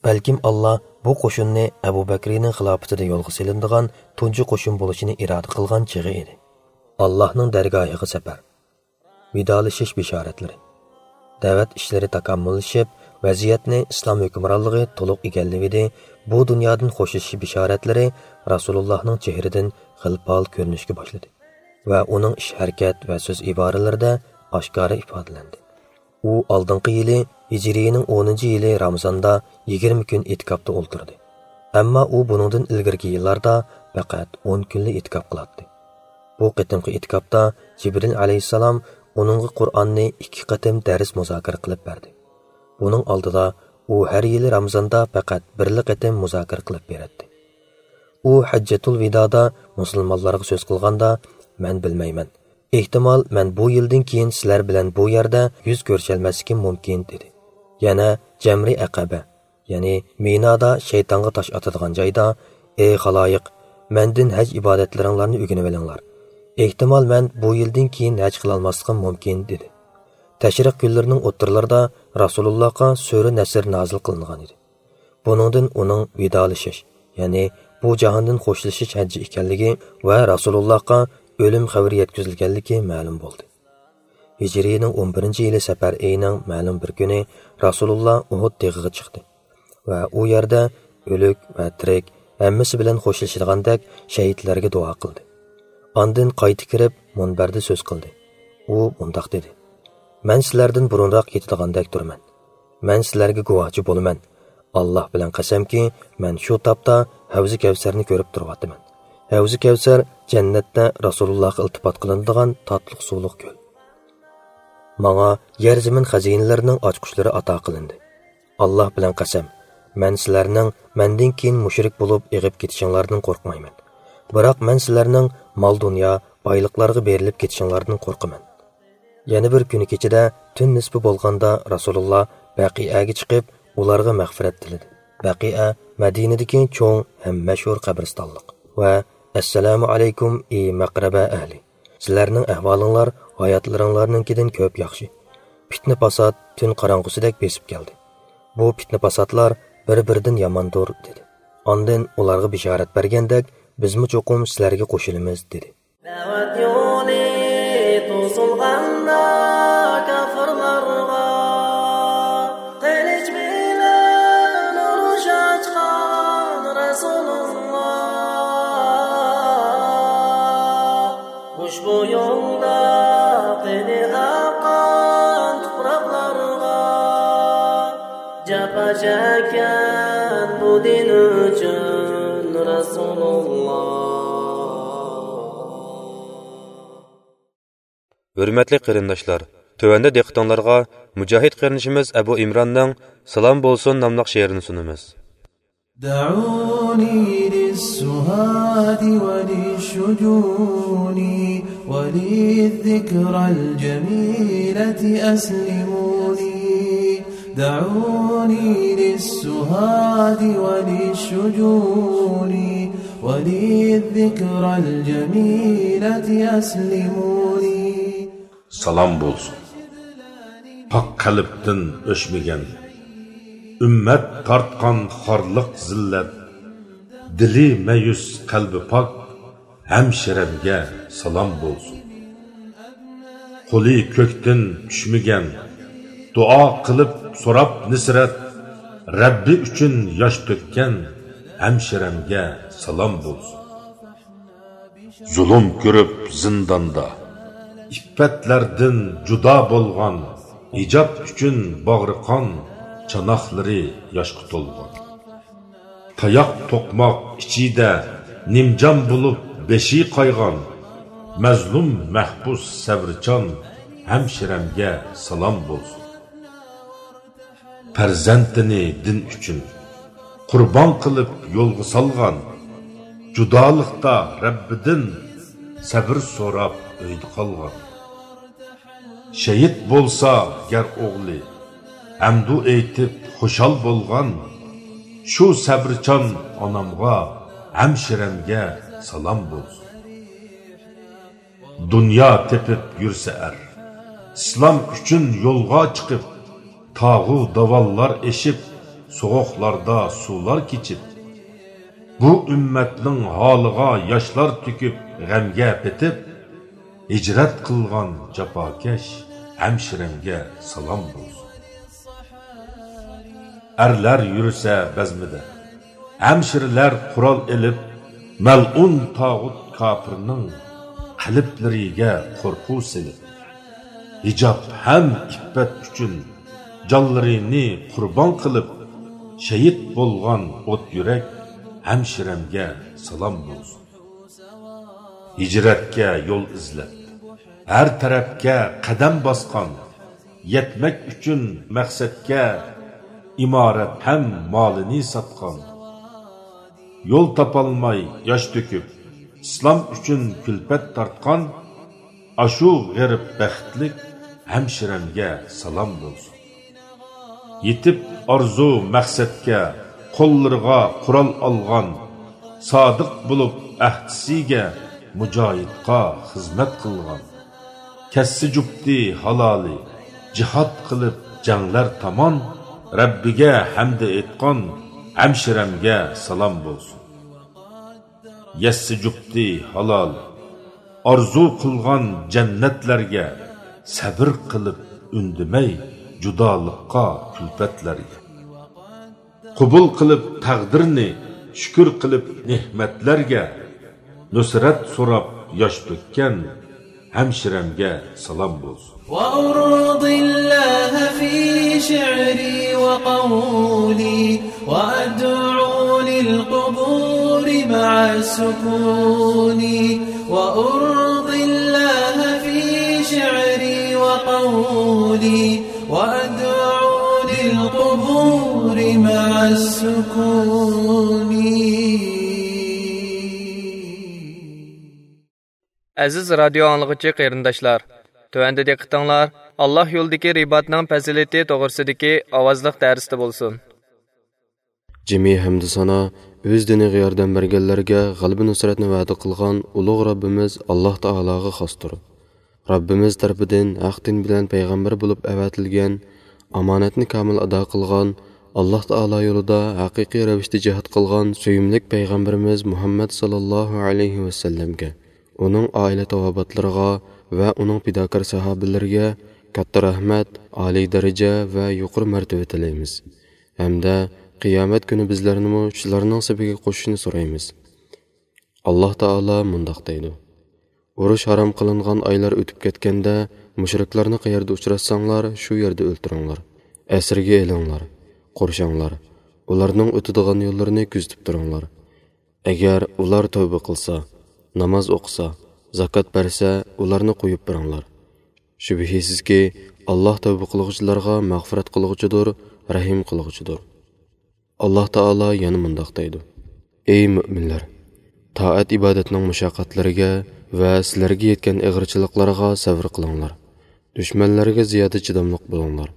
بەلكىم ئاللا بۇ قوشۇننى ئەبۇ بەكرىنىڭ خىلاپىتىدە يولغا سېلىنىدىغان تۇنجى قوشۇن بولۇشىنى ئىرادە قىلغان چېغى ئىدى. ئاللاھنىڭ دەرگاھىغا سەپەر. ۋىدالىشىش بېشارەتلىرى. دەۋەت ئىشلىرى تاكامۇللىشىپ، ۋەزىيەتنى ئىسلام ھۆكۈمرانلىقى تولۇق ئىگىلىۋىدى. بۇ دۇنيادىن خوشلىشىش بېشارەتلىرى رەسۇلۇللاھنىڭ چېھرىدىن خىلپال كۆرۈنۈشكە باشلىدى ۋە ئۇنىڭ ئىش-ھەرىكەت ۋە سۆز-ئىبارىلىرىدە ئاشكارا ئىپادىلەندى. ئۇ ئالدىنقى يىلى، ھىجرىينىڭ ئونىنچى يىلى رامىزاندا يىگىرمە كۈن ئېتىكاپتا ئولتۇردى. ئەمما ئۇ بۇنىڭدىن ئىلگىرىكى يىللاردا پەقەت ئون كۈنلا ئېتىكاپ قىلاتتى. بۇ قېتىمقى ئېتىكاپتا جىبرىل ئەلەيھىسسالام ئۇنىڭغا قۇرئاننى ئىككى قېتىم دەرس مۇزاكىرە قىلىپ بەردى. بۇنىڭ ئالدىدا ئۇ ھەر يىلى رامىزاندا پەقەت بىرلا قېتىم مۇزاكىرە قىلىپ بېرەتتى. ئۇ ھەججەتۇل ۋىدادا مۇسۇلمانلارغا سۆز قىلغاندا، مەن بىلمەيمەن. ئېھتىمال، مەن بۇ يىلدىن كېيىن سىلەر بىلەن بۇ يەردە يۈز كۆرۈشەلمەسلىكىم مۇمكىن، دېدى. يەنە جەمرى ئەقەبە، يەنى مىنادا شەيتانغا تاش ئاتىدىغان جايدا، ئەي خالايىق، مەندىن ھەج ئىبادەتلىرىڭلارنى ئۆگىنىۋېلىڭلار. ئېھتىمال، مەن بۇ يىلدىن كېيىن ھەج قىلالماسلىقىم مۇمكىن، دېدى. تەشرىق كۈنلىرىنىڭ ئوتتۇرىلىرىدا رەسۇلۇللاھقا سۈرە نەسر نازىل قىلىنغان ئىدى. بۇنىڭدىن ئۇنىڭ ۋىدالىشىش، يەنى بۇ جاھاندىن خوشلىشىش ھەججى ئىكەنلىكى ۋە رەسۇلۇللاھقا ئۆلۈم خەۋىرى يەتكۈزۈلگەنلىكى مەلۇم بولدى. ھىجرىينىڭ ئون بىرىنچى يىلى سەپەر ئېيىنىڭ مەلۇم بىر كۈنى رەسۇلۇللا ئۇھۇد تېغىغا چىقتى ۋە ئۇ يەردە ئۆلۈك ۋە تىرىك ھەممىسى بىلەن خوشلىشىدىغاندەك شەھىدلەرگە دۇئا قىلدى. ئاندىن قايتا كىرىپ مۇنبەردە سۆز قىلدى. ئۇ مۇنداق دېدى: مەن سىلەردىن بۇرۇنراق كېتىدىغاندەك تۇرىمەن. مەن سىلەرگە گۇۋاھچى بولىمەن. ئاللاھ بىلەن قەسەمكى، مەن شۇ تاپتا ھەۋزى كەۋسەرنى كۆرۈپ تۇرۇۋاتىمەن. ھەۋزى كەۋسەر جەننەتتە رەسۇلۇللاھقا ئىلتىپات قىلىنىدىغان تاتلىق سۇلۇق كۆل. ماڭا يەر زېمىن خەزىنىلىرىنىڭ ئاچقۇچلىرى ئاتا قىلىندى. ئاللاھ بىلەن قەسەم، مەن سىلەرنىڭ مەندىن كېيىن مۇشرىك بولۇپ ئېغىپ كېتىشىڭلاردىن قورقمايمەن. بىراق مەن سىلەرنىڭ مال-دۇنيا، بايلىقلارغا بېرىلىپ كېتىشىڭلاردىن قورقىمەن. يەنە بىر كۈنى كېچىدە تۈن نىسپى بولغاندا رەسۇلۇللا بەقىئەگە چىقىپ، ئۇلارغا مەغپىرەت تىلىدى. بەقىئە مەدىنىدىكى چوڭ ھەم مەشھۇر قەبرىستانلىق. ۋە ئەسسالامۇ ئەلەيكۇم، ئى مەقرەبە ئەھلى! سىلەرنىڭ ئەھۋالىڭلار ھاياتلىرىڭلارنىڭكىدىن كۆپ ياخشى. پىتنە-پاسات تۈن قاراڭغۇسىدەك بېسىپ كەلدى. بۇ پىتنە-پاساتلار بىر-بىرىدىن ياماندۇر، دېدى. ئاندىن ئۇلارغا بېشارەت بەرگەندەك، بىزمۇ چوقۇم سىلەرگە قوشۇلىمىز، دېدى. دەۋەت يولى توسۇلغاندا كاپىرلارغا، قىلىچ بىلەن ئۇرۇش ئاچقان رەسۇلۇللا. ئۇشبۇ يولدا قېنى ئاققان تۇپراقلارغا، جاپا چەككەن بۇ دىن ئۈچۈن رەسۇلۇللا. ھۆرمەتلىك قېرىنداشلار، تۆۋەندە دىققىتىڭلارغا مۇجاھىد قېرىندىشىمىز ئەبۇ ئىمراننىڭ سالام بولسۇن ناملىق شېئىرىنى سۇنىمىز. دعوني للسهاد وللشجون وللذكرى الجميلة أسلموني. دعوني للسهاد وللشجون وللذكرى الجميلة أسلموني. سالام بولسۇن. پاك قەلبتىن ئۆچمىگەن، ئۈممەت تارتقان خارلىق زىللەت، دىلى مەيۈس، قەلبى پاك، ھەمشىرەمگە سالام بولسۇن. قولى كۆكتىن چۈشمىگەن، دۇئا قىلىپ سوراپ نىسرەت، رەببى ئۈچۈن ياش تۆككەن، ھەمشىرەمگە سالام بولسۇن. زۇلۇم كۆرۈپ زىنداندا، ئىپپەتلەردىن جۇدا بولغان، ھىجاب ئۈچۈن باغرى قان، چاناقلىرى ياشقا تولغان. تاياق توقماق ئىچىدە نىمجان بولۇپ بېشى قايغان، مەزلۇم مەھبۇس سەۋرچان، ھەمشىرەمگە سالام بولسۇن. پەرزەنتىنى دىن ئۈچۈن قۇربان قىلىپ يولغا سالغان، جۇدالىقتا رەببىدىن سەۋر سوراپ ئۆيدە قالغان. شېھىت بولسا گەر ئوغلى، ھەمدۇ ئېيتىپ خۇشال بولغان، شۇ سەۋرچان ئانامغا، ھەمشىرەمگە سالام بولسۇن. دۇنيا تېپىپ يۈرسە ئەر، ئىسلام ئۈچۈن يولغا چىقىپ، تاغۇ داۋانلار ئېشىپ، سوغۇقلاردا سۇلار كېچىپ، بۇ ئۈممەتنىڭ ھالىغا ياشلار تۆكۈپ، غەمگە پېتىپ، ھىجرەت قىلغان جاپاكەش ھەمشىرەمگە سالام بولسۇن. ئەرلەر يۈرسە بەزمىدە، ھەمشىرىلەر قورال ئېلىپ، مەلئۇن تاغۇت كاپىرنىڭ قەلبلىرىگە قورقۇ سېلىپ، ھىجاب ھەم ئىپپەت ئۈچۈن جانلىرىنى قۇربان قىلىپ، شېھىت بولغان ئوت يۈرەك ھەمشىرەمگە سالام بولسۇن. ھىجرەتكە يول ئىزلەپ، ھەر تەرەپكە قەدەم باسقان، يەتمەك ئۈچۈن مەقسەتكە ئىمارەت ھەم مالىنى ساتقان، يول تاپالماي ياش تۆكۈپ، ئىسلام ئۈچۈن كۈلپەت تارتقان، ئاشۇ غېرىب بەختلىك ھەمشىرەمگە سالام بولسۇن. يېتىپ ئارزۇ مەقسەتكە، قوللىرىغا قورال ئالغان، سادىق بولۇپ ئەھدىسىگە مۇجاھىدقا خىزمەت قىلغان. كەسسە جۈپتى ھالالى، جىھاد قىلىپ جەڭلەر تامان، رەببىگە ھەمدە ئېيتقان، ھەمشىرەمگە سالام بولسۇن. يەسسە جۈپتى ھالال، ئارزۇ قىلغان جەننەتلەرگە، سەۋر قىلىپ ئۈندىمەي جۇدالىققا، كۈلپەتلەرگە. قوبۇل قىلىپ تەقدىرنى، شۈكۈر قىلىپ نېمەتلەرگە، نۇسرەت سوراپ ياش تۆككەن، ھەمشىرەمگە سالام بولسۇن. وأرضي الله في شعري وقولي، وأدعو للقبور مع السكون. وأرضي الله في شعري وقولي، وأدعو للقبور مع السكون. ئەزىز رادىيو ئاڭلىغۇچى قېرىنداشلار، تۆۋەندە دىققىتىڭلار ئاللاھ يولىدىكى رىباتنىڭ پەزىلىتى توغرىسىدىكى ئاۋازلىق دەرستە بولسۇن. جىمى ھەمدۇ سانا ئۆز دىنىغا ياردەم بەرگەنلەرگە غەلىبە نۇسرەتنى ۋەدە قىلغان ئۇلۇغ رەببىمىز ئاللاھ تائالاغا خاستۇر. رەببىمىز تەرىپىدىن ھەق دىن بىلەن پەيغەمبەر بولۇپ ئەۋەتىلگەن، ئامانەتنى كامىل ئادا قىلغان، ئاللاھ تائالا يولىدا ھەقىقىي رەۋىشتە جىھاد قىلغان سۆيۈملۈك پەيغەمبىرىمىز مۇھەممەد ساللاللاھۇ ئەلەيھى ۋەسەللەمگە، ئۇنىڭ ئائىلە تاۋابىئاتلىرىغا ۋە ئۇنىڭ پىداكار ساھابىلىرىگە كاتتا رەھمەت، ئالىي دەرىجە ۋە يۇقىرى مەرتىۋە تىلەيمىز. ھەمدە قىيامەت كۈنى بىزلەرنىمۇ شۇلارنىڭ سېپىگە قوشۇشنى سورايمىز. ئاللاھ تائالا مۇنداق دەيدۇ: ئۇرۇش ھارام قىلىنغان ئايلار ئۆتۈپ كەتكەندە، مۇشرىكلارنى قەيەردە ئۇچراتساڭلار، شۇ يەردە ئۆلتۈرۈڭلار. ئەسىرگە ئېلىڭلار، قورشاڭلار. ئۇلارنىڭ ئۆتىدىغان يوللىرىنى كۆزىتىپ تۇرۇڭلار. ئەگەر ئۇلار تەۋبە قىلسا، ناماز ئوقۇسا، زاكات بەرسە، ئۇلارنى قويۇپ بېرىڭلار. شۈبھىسىزكى، ئاللاھ تەۋبە قىلغۇچىلارغا مەغپىرەت قىلغۇچىدۇر، رەھىم قىلغۇچىدۇر. ئاللاھ تائالا يەنە مۇنداق دەيدۇ: ئەي مۆمىنلەر! تائەت-ئىبادەتنىڭ مۇشەققەتلىرىگە ۋە سىلەرگە يەتكەن ئېغىرچىلىقلارغا سەۋر قىلىڭلار. دۈشمەنلەرگە زىيادە چىداملىق بولۇڭلار.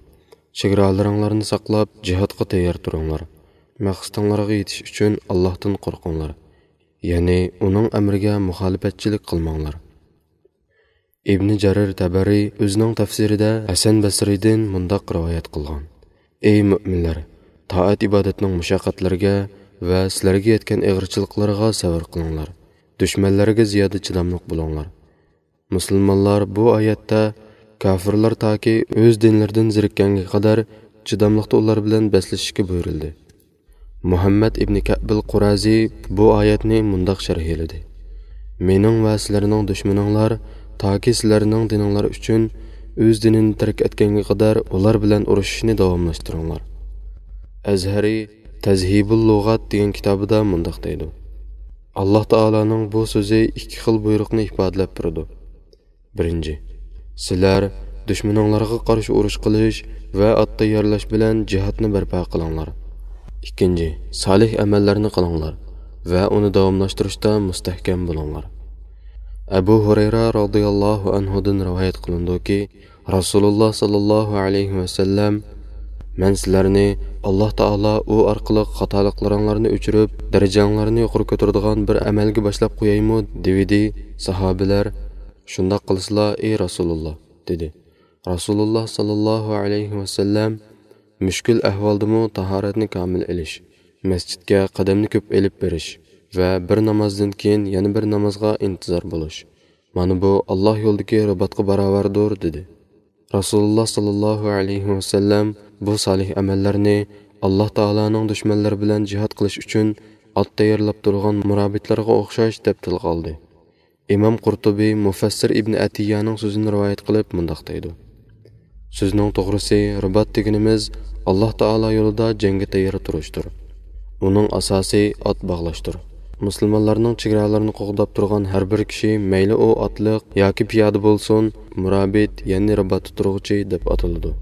چېگرالىرىڭلارنى ساقلاپ، جىھادقا تەييار تۇرۇڭلار. مەقسىتىڭلارغا يېتىش ئۈچۈن ئاللاھتىن قورقۇڭلار. يەنى ئۇنىڭ ئەمرىگە مۇخالىپەتچىلىك قىلماڭلار. ئىبنى جەرىر تەبەرى ئۆزىنىڭ تەپسىرىدە ھەسەن بەسرىدىن مۇنداق رىۋايەت قىلغان: ئەي مۆمىنلەر! تائەت-ئىبادەتنىڭ مۇشەققەتلىرىگە ۋە سىلەرگە يەتكەن ئېغىرچىلىقلىرىغا سەۋر قىلىڭلار. دۈشمەنلەرگە زىيادە چىداملىق بولۇڭلار. مۇسۇلمانلار بۇ ئايەتتە كاپىرلار تاكى ئۆز دىنلىرىدىن زېرىككەنگە قەدەر چىداملىقتا ئۇلار بىلەن بەسلىشىشكە بۇيرۇلدى. مۇھەممەد ئىبنى كەئبىل قۇرازى بۇ ئايەتنى مۇنداق شەرھلىدى: مېنىڭ ۋە سىلەرنىڭ دۈشمىنىڭلار تاكى سىلەرنىڭ دىنىڭلار ئۈچۈن ئۆز دىنىنى تەرك ئەتكەنگە قەدەر ئۇلار بىلەن ئۇرۇشۇشنى داۋاملاشتۇرۇڭلار. ئەزھەرى تەزھىبۇل لۇغات دېگەن كىتابىدا مۇنداق دەيدۇ: ئاللاھ تائالانىڭ بۇ سۆزى ئىككى خىل بۇيرۇقنى ئىپادىلەپ بېرىدۇ. بىرىنچى، سىلەر دۈشمىنىڭلارغا قارشى ئۇرۇش قىلىش ۋە ئات تەييارلاش بىلەن جىھادنى بەرپا قىلىڭلار. ئىككىنچى، سالىھ ئەمەللەرنى قىلىڭلار ۋە ئۇنى داۋاملاشتۇرۇشتا مۇستەھكەم بولۇڭلار. ئەبۇ ھۇرەيرە رازىياللاھۇ ئەنھۇدىن رىۋايەت قىلىنىدۇكى، رەسۇلۇللا ساللاللاھۇ ئەلەيھى ۋەسەللەم، مەن سىلەرنى ئاللاھ تائالا ئۇ ئارقىلىق خاتالىقلىرىڭلارنى ئۆچۈرۈپ، دەرىجەڭلارنى يۇقىرى كۆتۈرىدىغان بىر ئەمەلگە باشلاپ قويايمۇ؟ دېۋىدى. ساھابىلەر، شۇنداق قىلسىلا، ئەي رەسۇلۇللا، دېدى. رەسۇلۇللا ساللاللاھۇ ئەلەيھى ۋەسەللەم، مۈشكۈل ئەھۋالدىمۇ تاھارەتنى كامىل ئېلىش، مەسچىتكە قەدەمنى كۆپ ئېلىپ بېرىش ۋە بىر نامازدىن كېيىن يەنە بىر نامازغا ئىنتىزار بولۇش، مانا بۇ ئاللاھ يولىدىكى رىباتقا باراۋەردۇر، دېدى. رەسۇلۇللا ساللاللاھۇ ئەلەيھى ۋەسەللەم بۇ سالىھ ئەمەللەرنى ئاللاھ تائالانىڭ دۈشمەنلىرى بىلەن جىھاد قىلىش ئۈچۈن ئات تەييارلاپ تۇرغان مۇرابىتلارغا ئوخشاش دەپ تىلغا ئالدى. ئىمام قۇرتۇبى مۇفەسسىر ئىبنى ئەتىيانىڭ سۆزىنى رىۋايەت قىلىپ مۇنداق دەيدۇ: سۆزنىڭ توغرىسى، رىبات دېگىنىمىز ئاللاھ تائالا يولىدا جەڭگە تەييار تۇرۇشتۇر. ئۇنىڭ ئاساسى ئات باغلاشتۇر. مۇسۇلمانلارنىڭ چېگرالىرىنى قوغداپ تۇرغان ھەر بىر كىشى، مەيلى ئۇ ئاتلىق ياكى پىيادە بولسۇن، مۇرابىت، يەنى رىباتتا تۇرغۇچى دەپ ئاتىلىدۇ.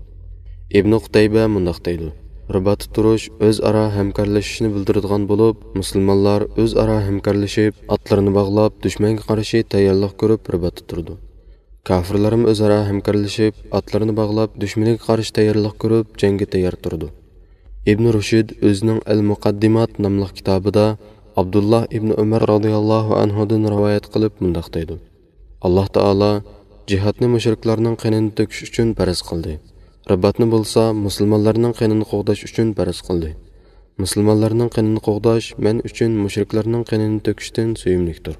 ئىبنى قۇتەيبە مۇنداق دەيدۇ: رىباتتا تۇرۇش ئۆزئارا ھەمكارلىشىشنى بىلدۈرىدىغان بولۇپ، مۇسۇلمانلار ئۆزئارا ھەمكارلىشىپ، ئاتلىرىنى باغلاپ، دۈشمەنگە قارشى تەييارلىق كۆرۈپ رىباتتا تۇرىدۇ. كاپىرلارمۇ ئۆزئارا ھەمكارلىشىپ، ئاتلىرىنى باغلاپ، دۈشمىنىگە قارشى تەييارلىق كۆرۈپ، جەڭگە تەييار تۇرىدۇ. ئىبن رۇشد ئۆزىنىڭ ئەل مۇقەددىمات ناملىق كىتابىدا ئابدۇللا ئىبنى ئۆمەر رازىياللاھۇ ئەنھۇدىن رىۋايەت قىلىپ مۇنداق دەيدۇ: ئاللاھ تائالا جىھادنى مۇشرىكلارنىڭ قېنىنى تۆكۈش ئۈچۈن پەرز قىلدى. رىباتنى بولسا مۇسۇلمانلارنىڭ قېنىنى قوغداش ئۈچۈن پەرز قىلدى. مۇسۇلمانلارنىڭ قېنىنى قوغداش مەن ئۈچۈن مۇشرىكلارنىڭ قېنىنى تۆكۈشتىن سۆيۈملۈكتۇر.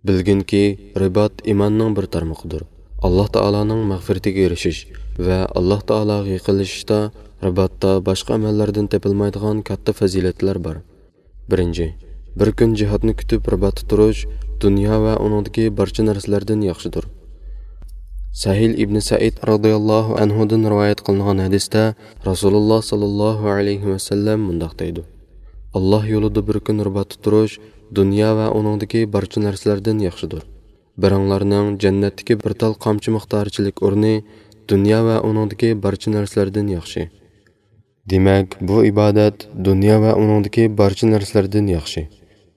بىلگىنكى، رىبات ئىماننىڭ بىر تارمىقىدۇر. ئاللاھ تائالانىڭ مەغپىرىتىگە ئېرىشىش ۋە ئاللاھ تائالاغا يېقىنلىشىشتا رىباتتا باشقا ئەمەللەردىن تېپىلمايدىغان كاتتا پەزىلەتلەر بار. بىرىنچى، بىر كۈن جىھادنى كۈتۈپ رىباتتا تۇرۇش دۇنيا ۋە ئۇنىڭدىكى بارچە نەرسىلەردىن ياخشىدۇر. سەھىل ئىبنى سەئىد رازىياللاھۇ ئەنھۇدىن رىۋايەت قىلىنغان ھەدىستە رەسۇلۇللاھ ساللاللاھۇ ئەلەيھى ۋەسەللەم مۇنداق دەيدۇ: ئاللاھ يولىدا بىر كۈن رىباتتا تۇرۇش دۇنيا ۋە ئۇنىڭدىكى بارچە نەرسىلەردىن ياخشىدۇر. بىرىڭلارنىڭ جەننەتتىكى بىر تال قامچا مىقدارىچىلىك ئورنى دۇنيا ۋە ئۇنىڭدىكى بارچە نەرسىلەردىن ياخشى. دېمەك، بۇ ئىبادەت دۇنيا ۋە ئۇنىڭدىكى بارچە نەرسىلەردىن ياخشى.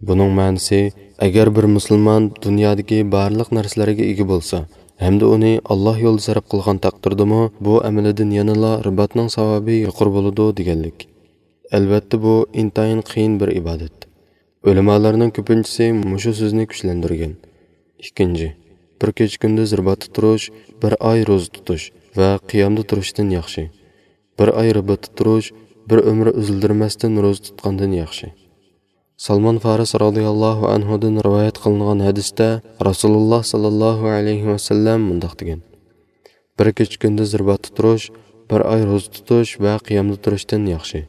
بۇنىڭ مەنىسى، ئەگەر بىر مۇسۇلمان دۇنيادىكى بارلىق نەرسىلەرگە ئىگە بولسا ھەمدە ئۇنى ئاللاھ يولىدا سەرپ قىلغان تەقدىردىمۇ، بۇ ئەمىلىدىن يەنىلا رىباتنىڭ ساۋابى يۇقىرى بولىدۇ دېگەنلىك. ئەلۋەتتە، بۇ ئىنتايىن قىيىن بىر ئىبادەت. ئۆلىمالارنىڭ كۆپىنچىسى مۇشۇ سۆزنى كۈچلەندۈرگەن. ئىككىنچى، بىر كېچە-كۈندۈز رىباتتا تۇرۇش بىر ئاي روزا تۇتۇش ۋە قىيامدا تۇرۇشتىن ياخشى. بىر ئاي رىباتتا تۇرۇش بىر ئۆمۈر ئۈزۈلدۈرمەستىن روزا تۇتقاندىن ياخشى. سالمان فارىس رازىياللاھۇ ئەنھۇدىن رىۋايەت قىلىنغان ھەدىستە رەسۇلۇللاھ ساللاللاھۇ ئەلەيھى ۋەسەللەم مۇنداق دېگەن: بىر كېچە-كۈندۈز رىباتتا تۇرۇش بىر ئاي روزا تۇتۇش ۋە قىيامدا تۇرۇشتىن ياخشى.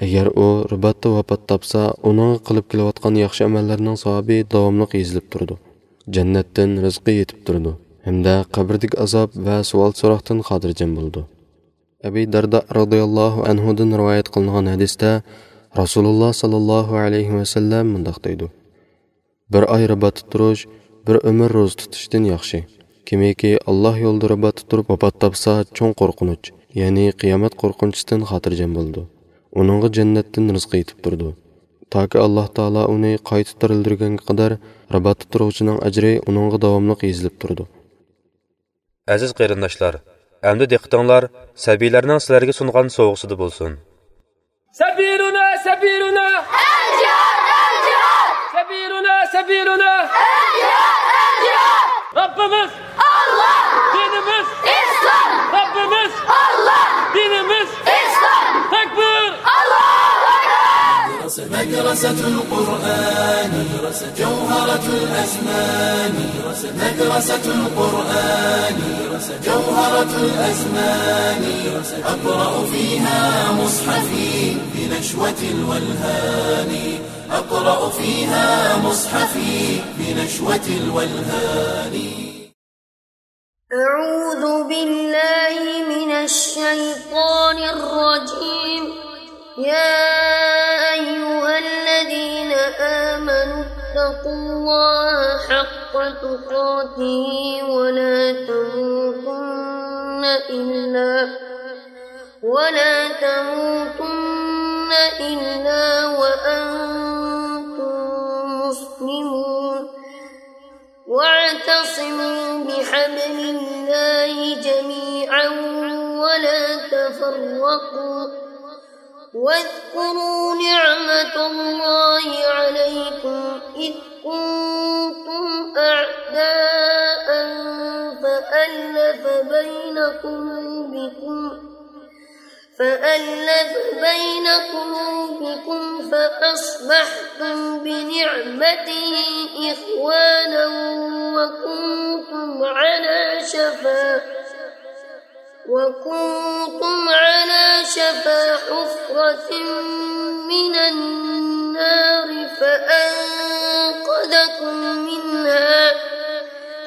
ئەگەر ئۇ رىباتتا ۋاپات تاپسا، ئۇنىڭغا قىلىپ كېلىۋاتقان ياخشى ئەمەللەرنىڭ ساۋابى داۋاملىق يېزىلىپ تۇرىدۇ. جەننەتتىن رىزقى يېتىپ تۇرىدۇ ھەمدە قەبرىدىكى ئازاب ۋە سوئال-سوراقتىن خاتىرجەم بولىدۇ. ئەبى دەردە رازىياللاھۇ ئەنھۇدىن رىۋايەت قىلىنغان ھەدىستە رەسۇلۇللاھ ساللاللاھۇ ئەلەيھى ۋەسەللەم مۇنداق دەيدۇ: بىر ئاي رىباتتا تۇرۇش بىر ئۆمۈر روزا تۇتۇشتىن ياخشى. كىمكى ئاللاھ يولىدا رىباتتا تۇرۇپ ۋاپات تاپسا، چوڭ قورقۇنچ، يەنى قىيامەت قورقۇنچىسىدىن خاتىرجەم بولىدۇ. ئۇنىڭغا جەننەتتىن رىزقى يېتىپ تۇرىدۇ. تاكى ئاللاھ تائالا ئۇنى قايتا تىرىلدۈرگەنگە قەدەر رىباتتا تۇرغۇچىنىڭ ئەجرى ئۇنىڭغا داۋاملىق يېزىلىپ تۇرىدۇ. ئەزىز قېرىنداشلار، ئەمدى دىققىتىڭلار سەبىيلەرنىڭ سىلەرگە سۇنغان سوۋغىسىدا بولسۇن. سەبىيلۇنا، سەبىيلۇنا. ئەلجىھاد، ئەلجىھاد. سەبىيلۇنا، سەبىيلۇنا. ئەلجىھاد، ئەلجىھاد. رەببىمىز ئاللاھ. دىنىمىز ئىسلام. رەببىمىز ئاللاھ. دىنىمىز ئىسلام. تەكبىر. ئاللاھۇ ئەكبەر. مدرسة القرآن، جوهرة الأزمان. مدرسة القرآن، جوهرة الأزمان. أقرأ فيها مصحفي بنشوة الولهان. أقرأ فيها مصحفي بنشوة الولهان. أعوذ بالله من الشيطان الرجيم. يا أيها الذين آمنوا اتقوا الله حق تقاته ولا تموتن إلا، ولا تموتن إلا وأنتم مسلمون. واعتصموا بحبل الله جميعا ولا تفرقوا. واذكروا نعمة الله عليكم إذ كنتم أعداء فألف بين قلوبكم، فألف بين قلوبكم فأصبحتم بنعمته إخوانا وكنتم على شفا، وكنتم على شفا حفرة من النار فأنقذكم منها.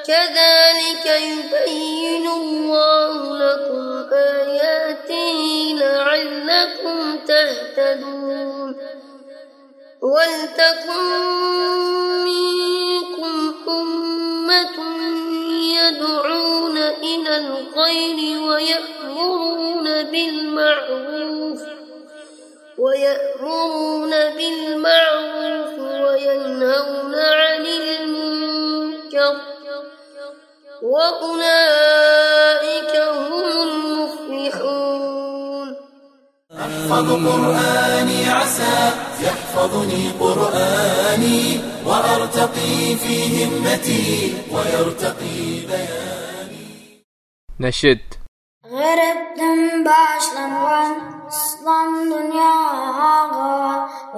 كذلك يبين الله لكم آياته لعلكم تهتدون. ولتكن منكم أمة يدعون إلى الخير ويأمرون بالمعروف، ويأمرون بالمعروف وينهون عن المنكر، وأولئك هم المفلحون. أحفظ قرآني عسى يحفظني قرآني وأرتقي في همتي ويرتقي بياني. نەشىد. غەربتىن باشلانغان ئىسلام دۇنياغا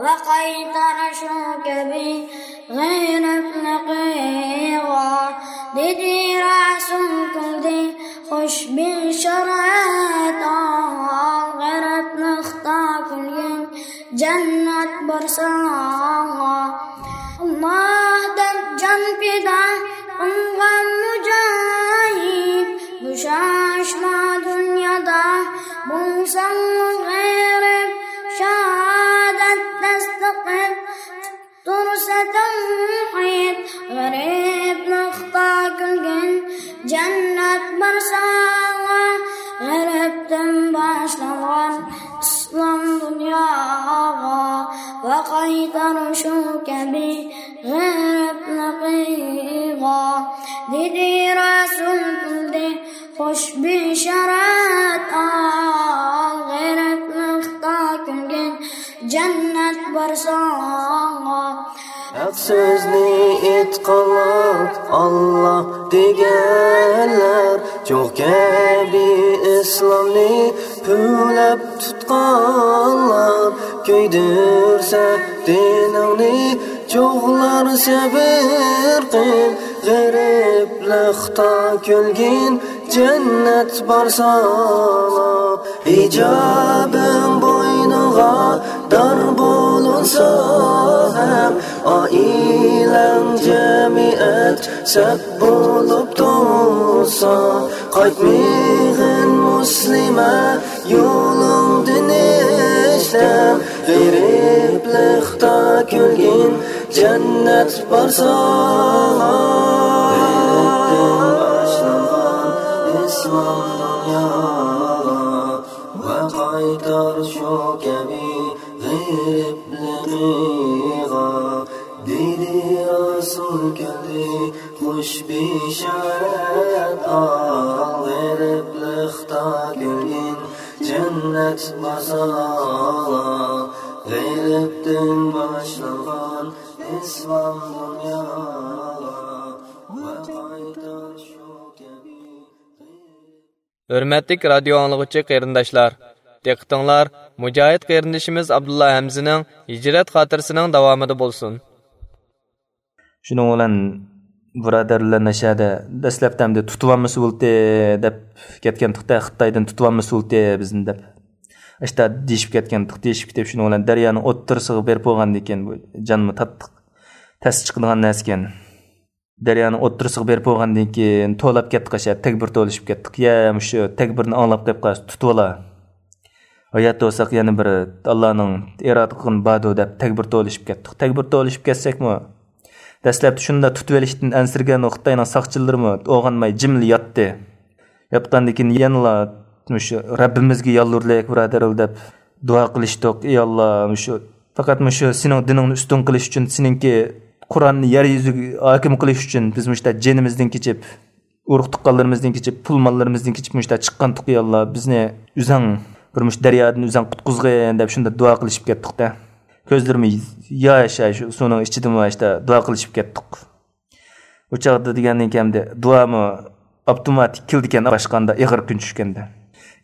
ۋە قايتار شۇ كەبى غېرىبلىق ئىغا، دېدى رەسۇل كۈلدى خوش بېشارەت ئال، غېرىبلىقتا كۈلگىن جەننەت بار ساڭا. ئاللا دەپ جان پىدا قىلغان مۇجاھىد، بوشاشما دۇنيادا بولساڭمۇ غېرىب، شاھادەت تەستىقىپ تۇرسا تەۋھىد، غېرىبلىقتا كۈلگىن جەننەت بار ساڭا. غېرىبتىن باشلانغان ئىسلام دۇنياغا ۋە قايتار شۇ كەبى غېرىبلىق ئىغا، دېدى رەسۇل كۈلدى خوش بېشارەت ئال، غېرىبلىقتا كۈلگىن جەننەت بار ساڭا. ھەق سۆزنى ئېيتقانلار، ئاللا دېگەنلەر، چوغ كەبى ئىسلامنى پۈۋلەپ تۇتقانلار، كۆيدۈرسە دىنىڭنى چوغلار، سەۋر قىل، غېرىبلىقتا كۈلگىن جەننەت بار ساڭا. ھىجابىڭ بوينۇڭغا دار بولۇنسا ھەم، ئائىلەڭ جەمئىيەت سەپ بولۇپ تۇرسا، قايتمىغىن مۇسلىمە يولۇڭدىن ئىشلەم، غېرىبلىقتا كۈلگىن جەننەت بار ساڭا. غېرىبتىن باشلانغان ئىسلام دۇنيا ۋە قايتار شۇ كەبى غېرىبلىقىغا، دېدى رەسۇل كەبى خوش بېشارەت ئال، غېرىبلىقتا كۈلگىن جەننەت بار ساڭا. غېرىبتىن باشلانغان ئىسلام دۇنيا ۋە قايتار شۇ كەبى. ھۆرمەتلىك رادىيو ئاڭلىغۇچى قېرىنداشلار، دىققىتىڭلار مۇجاھىد قېرىندىشىمىز ئابدۇللا ھەمزىنىڭ ھىجرەت خاتىرىسىنىڭ داۋامىدا بولسۇن. شۇنىڭ بىلەن بۇرادەرلەر نەشەدە دەسلەپتە ئەمدى تۇتۇۋالمىسا بولتى دەپ كەتكەنتۇق-تە، خىتايدىن تۇتۇۋالمىسا بولتى بىزنى دەپ. ئاشتا دېيىشىپ كەتكەنتۇق، دېيىشىپ كېتىپ، شۇنىڭ بىلەن دەريانىڭ ئوتتۇرىسىغا بېرىپ بولغاندىن كېيىن، بۇ جانمۇ تاتلىق تەس چىقىدىغان نەرسىكەن. دەريانىڭ ئوتتۇرىسىغا بېرىپ بولغاندىن كېيىن توۋلاپ كەتتۇق، ئاشۇ تەكبىر توۋلىشىپ كەتتۇق. يا مۇشۇ تەكبىرنى ئاڭلاپ قېلىپ قالسا تۇتۇۋالا. ھايات بولساق يەنە بىر ئاللانىڭ ئىرادە قىلغىنى باردۇ دەپ تەكبىر توۋلىشىپ كەتتۇق. تەكبىر توۋلىشىپ كەتسەكمۇ، دەسلەپتە شۇنداق تۇتۇۋېلىشتىن ئەنسىرىگەن خىتاينىڭ ساقچىلىرىمۇ ئويغانماي جىملا ياتتى. ياتقاندىن كېيىن يەنىلا مۇشۇ رەببىمىزگە يالۋۇردۇق، بۇرادەرلەر دەپ دۇئا قىلىشتۇق. ئى ئاللا، مۇشۇ پەقەت مۇشۇ سېنىڭ دىنىڭنى ئۈستۈن قىلىش ئۈچۈن، سېنىڭكى قۇرئاننى يەر يۈزىگە ھاكىم قىلىش ئۈچۈن بىز مۇشۇنداق جېنىمىزدىن كېچىپ، ئۇرۇق تۇغقانلىرىمىزدىن كېچىپ، پۇل ماللىرىمىزدىن كېچىپ مۇشۇنداق چىققانتۇق، ئى ئاللا، بىزنى ئۆزەڭ بىر مۇشۇ دەريادىن ئۆزەڭ قۇتقۇزغىن دەپ شۇنداق دۇئا قىلىشىپ كەتتۇق-دە. كۆزلىرىمۇ ياش، شۇ سۇنىڭ ئىچىدىمۇ ئاشتا دۇئا قىلىشىپ كەتتۇق. ئۇ چاغدا دېگەندىن كېيىن ئەمدى دۇئامۇ ئاپتوماتىك كېلىدىكەن، باشقاندا ئېغىر كۈن چۈشكەندە.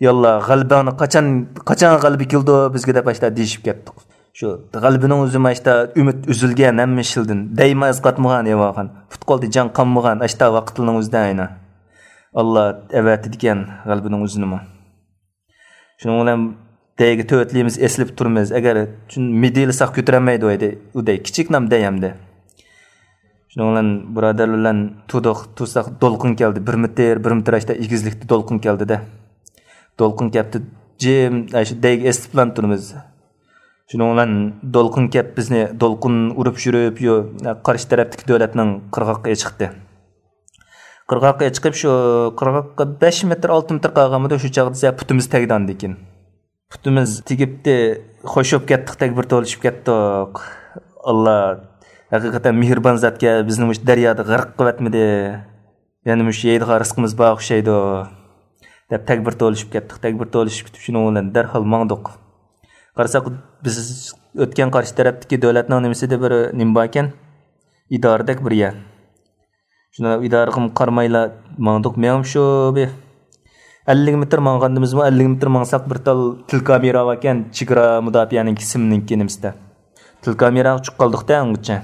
ياللا، غەلىبەڭنى قاچان، قاچان غەلىبە كېلىدۇ بىزگە دەپ ئاشتا دېيىشىپ كەتتۇق. شۇ غەلىبىنىڭ ئۆزىمۇ ئاشتا ئۈمىد ئۈزۈلگەن ھەممە ئىشلىدىن. دەيمۇ ئەز قاتمىغان ئەۋاخان. پۇت-قولدا جان قانمىغان ئاشتا ۋاقىتلىرىنىڭ ئۆزىدە ئاينا. ئاللا ئەۋەتىدىكەن غەلىبىنىڭ ئۆزىنىمۇ. شۇنىڭ بىلەن دەيگە تۆتلىيىمىز ئېسىلىپ تۇرىمىز. ئەگەر شۇ مىدىرلىساق كۆتۈرەلمەيدۇ ئەيدى. ئۇ دەي كىچىك نام دەي ئەمدى. شۇنىڭ بىلەن بۇرادەرلەر بىلەن تۇردۇق، تۇرساق دولقۇن كەلدى. بىر مېتىر، بىر مېتىر ئاشتا ئېگىزلىكتە دولقۇن كەلدى-دە. دولقۇن كەپتۇ، جىم، ئاشۇ دەيگە ئېسىلىپلا تۇرىمىز. شۇنىڭ بىلەن دولقۇن كەپ بىزنى دولقۇن ئۇرۇپ يۈرۈپ، يو-، قارشى تەرەپتىكى دۆلەتنىڭ قىرغاققا ئېچىقتى. قىرغاققا ئېچىقىپ، شۇ قىرغاققا بەش مېتىر، ئالتە مېتىر قالغانمىدۇ، شۇ چاغدا پۇتىمىز تەگدى ئاندىن كېيىن. پۇتىمىز تېگىپتى، خوش بولۇپ كەتتۇق، تەكبىر توۋلىشىپ كەتتۇق. ئاللا ھەقىقەتەن مېھرىبان زاتكەن، بىزنى مۇشۇ دەريادا غەرق قىلىۋەتمىدى. يەنە مۇشۇ يەيدىغان رىزقىمىز بار ئوخشايدۇ، دەپ تەكبىر توۋلىشىپ كەتتۇق. تەكبىر توۋلىشىپ كېتىپ، شۇنىڭ بىلەن دەرھال ماڭدۇق. قارىساق، بىز ئۆتكەن قارشى تەرەپتىكى دۆلەتنىڭ نېمىسىدە بىر نېمە باركەن، ئىدارىدەك بىر يەر. شۇندا ئىدارىغىمۇ قارىمايلا ماڭدۇق. مېڭىپ شۇ بىر ئەللىك مېتىر ماڭغاندىمىزمۇ، ئەللىك مېتىر ماڭساق، بىر تال تېلېكامېرا باركەن، چېگرا مۇداپىئەنىڭكى سىمنىڭكى نېمىسىدە. تېلېكامېراغا چۈشۈپ قالدۇق-دە ئۇنغىچە.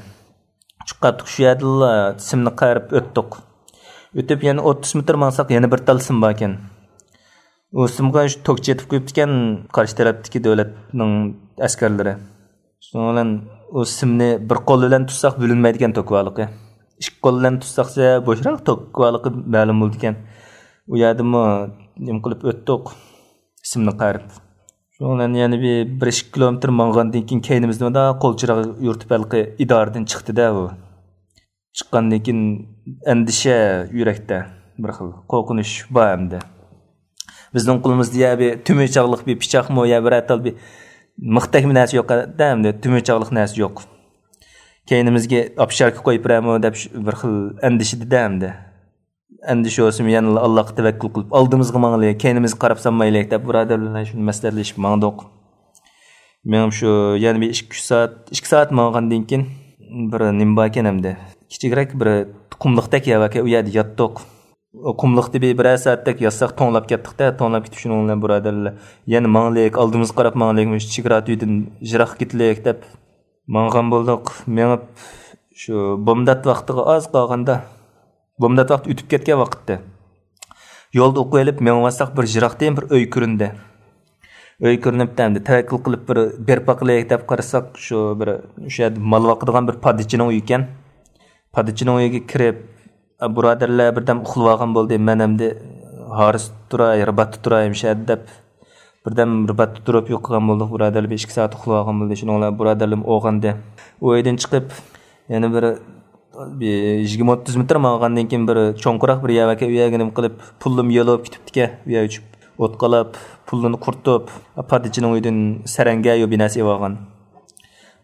چۈشۈپ قالدۇق، شۇ يەردىلا سىمنى قايرىپ ئۆتتۇق. ئۆتۈپ يەنە ئوتتۇز مېتىر ماڭساق، يەنە بىر تال سىم باركەن. ئۇ سىمغا شۇ توك چېتىپ قويۇپتىكەن، قارشى تەرەپتىكى دۆلەتنىڭ ئەسكەرلىرى. شۇنىڭ بىلەن ئۇ سىمنى بىر قول بىلەن تۇتساق بۆلۈنمەيدىكەن توك بارلىقى. ئىككى قول بىلەن تۇتساقسە بوشراق توك بارلىقى مەلۇم بولىدىكەن. ئۇ يەردىمۇ نېمە قىلىپ ئۆتتۇق، سىمنى قايرىپ. شۇنىڭ بىلەن يەنە بىر، بىر ئىككى كىلومېتىر ماڭغاندىن كېيىن، كەينىمىزدە مۇنداق قول چىراغ يورۇتۇپ ھېلىقى ئىدارىدىن چىقتى-دە ئۇ. چىققاندىن كېيىن ئەندىشە يۈرەكتە، بىر خىل قورقۇنچ بار ئەمدى. بىزنىڭ قولىمىزدا يا بىر تۈمۈر چاغلىق بىر پىچاقمۇ، يا بىر تال بىر مىختەكمۇ نەرسە يوق-دە ئەمدى، تۈمۈر چاغلىق نەرسە يوق. كەينىمىزگە ئاپشاركا قويۇپ بېرەرمۇ دەپ بىر خىل ئەندىشىدە-دە ئەمدى. ئەندىشە بولسىمۇ يەنىلا ئاللاغا تەۋەككۈل قىلىپ، ئالدىمىزغا ماڭايلى، كەينىمىزگە قاراپ سالمايلى دەپ، بۇرادەرلەر بىلەن شۇنى مەسلىھەتلىشىپ ماڭدۇق. مېڭىپ شۇ يەنە بىر ئىككى، ئۈچ سائەت، ئىككى سائەت ماڭغاندىن كېيىن، بىر نېمە باركەن ئەمدى، كىچىكرەك بىر قۇملۇقتەك يەر باركەن، ئۇ يەردە ياتتۇق. ئۇ قۇملۇقتا بىر، بىرەر سائەتتەك ياتساق، توڭلاپ كەتتۇق-دە، توڭلاپ كېتىپ، شۇنىڭ بىلەن بۇرادەرلەر يەنە ماڭايلى، ئالدىمىزغا قاراپ ماڭايلى، مۇشۇ چېگرا تۈۋىدىن يىراققا كېتەيلى دەپ ماڭغان بولدۇق. مېڭىپ شۇ بومدات ۋاقتىغا ئاز قالغاندا، بومدات ۋاقتى ئۆتۈپ كەتكەن ۋاقىتتا، يولدا ئوقۇۋېلىپ مېڭىۋاتساق، بىر يىراقتىن بىر ئۆي كۆرۈندى. ئۆي كۆرۈنۈپتۇ ئەمدى. تەۋەككۈل قىلىپ بىر بېرىپ باقىلى دەپ قارىساق، شۇ بىر، شۇ يەردە مال باقىدىغان بىر پادىچىنىڭ ئۆيى ئىكەن. پادىچىنىڭ ئۆيىگە كىرىپ، بۇرادەرلەر بىردەم ئۇخلىۋالغان بولدى. مەن ئەمدى ھارىستا تۇراي، رىباتتا تۇراي مۇشۇ يەردە دەپ، بىردەم رىباتتا تۇرۇپ يوقىغان بولدۇق. بۇرادەرلەر بىر ئىككى سائەت ئۇخلىۋالغان بولدى. شۇنىڭ بىلەن بۇرادەرلىرىم ئويغاندى. ئۇ ئۆيدىن چىقىپ، يەنە بىر، بىر يىگىرمە ئوتتۇز مېتىر ماڭغاندىن كېيىن، بىر چوڭقۇراق بىر يەر باركەن، ئۇ يەرگە نېمە قىلىپ، پۇللىرىمۇ يولىغا كېتىپتىكەن. ئۇ يەرگە چۈشۈپ، ئوت قالاپ، پۇللىرىنى قۇرۇتۇپ، پادىچىنىڭ ئۆيىدىن سەرەڭگە يو بىناسى ئېلىۋالغان.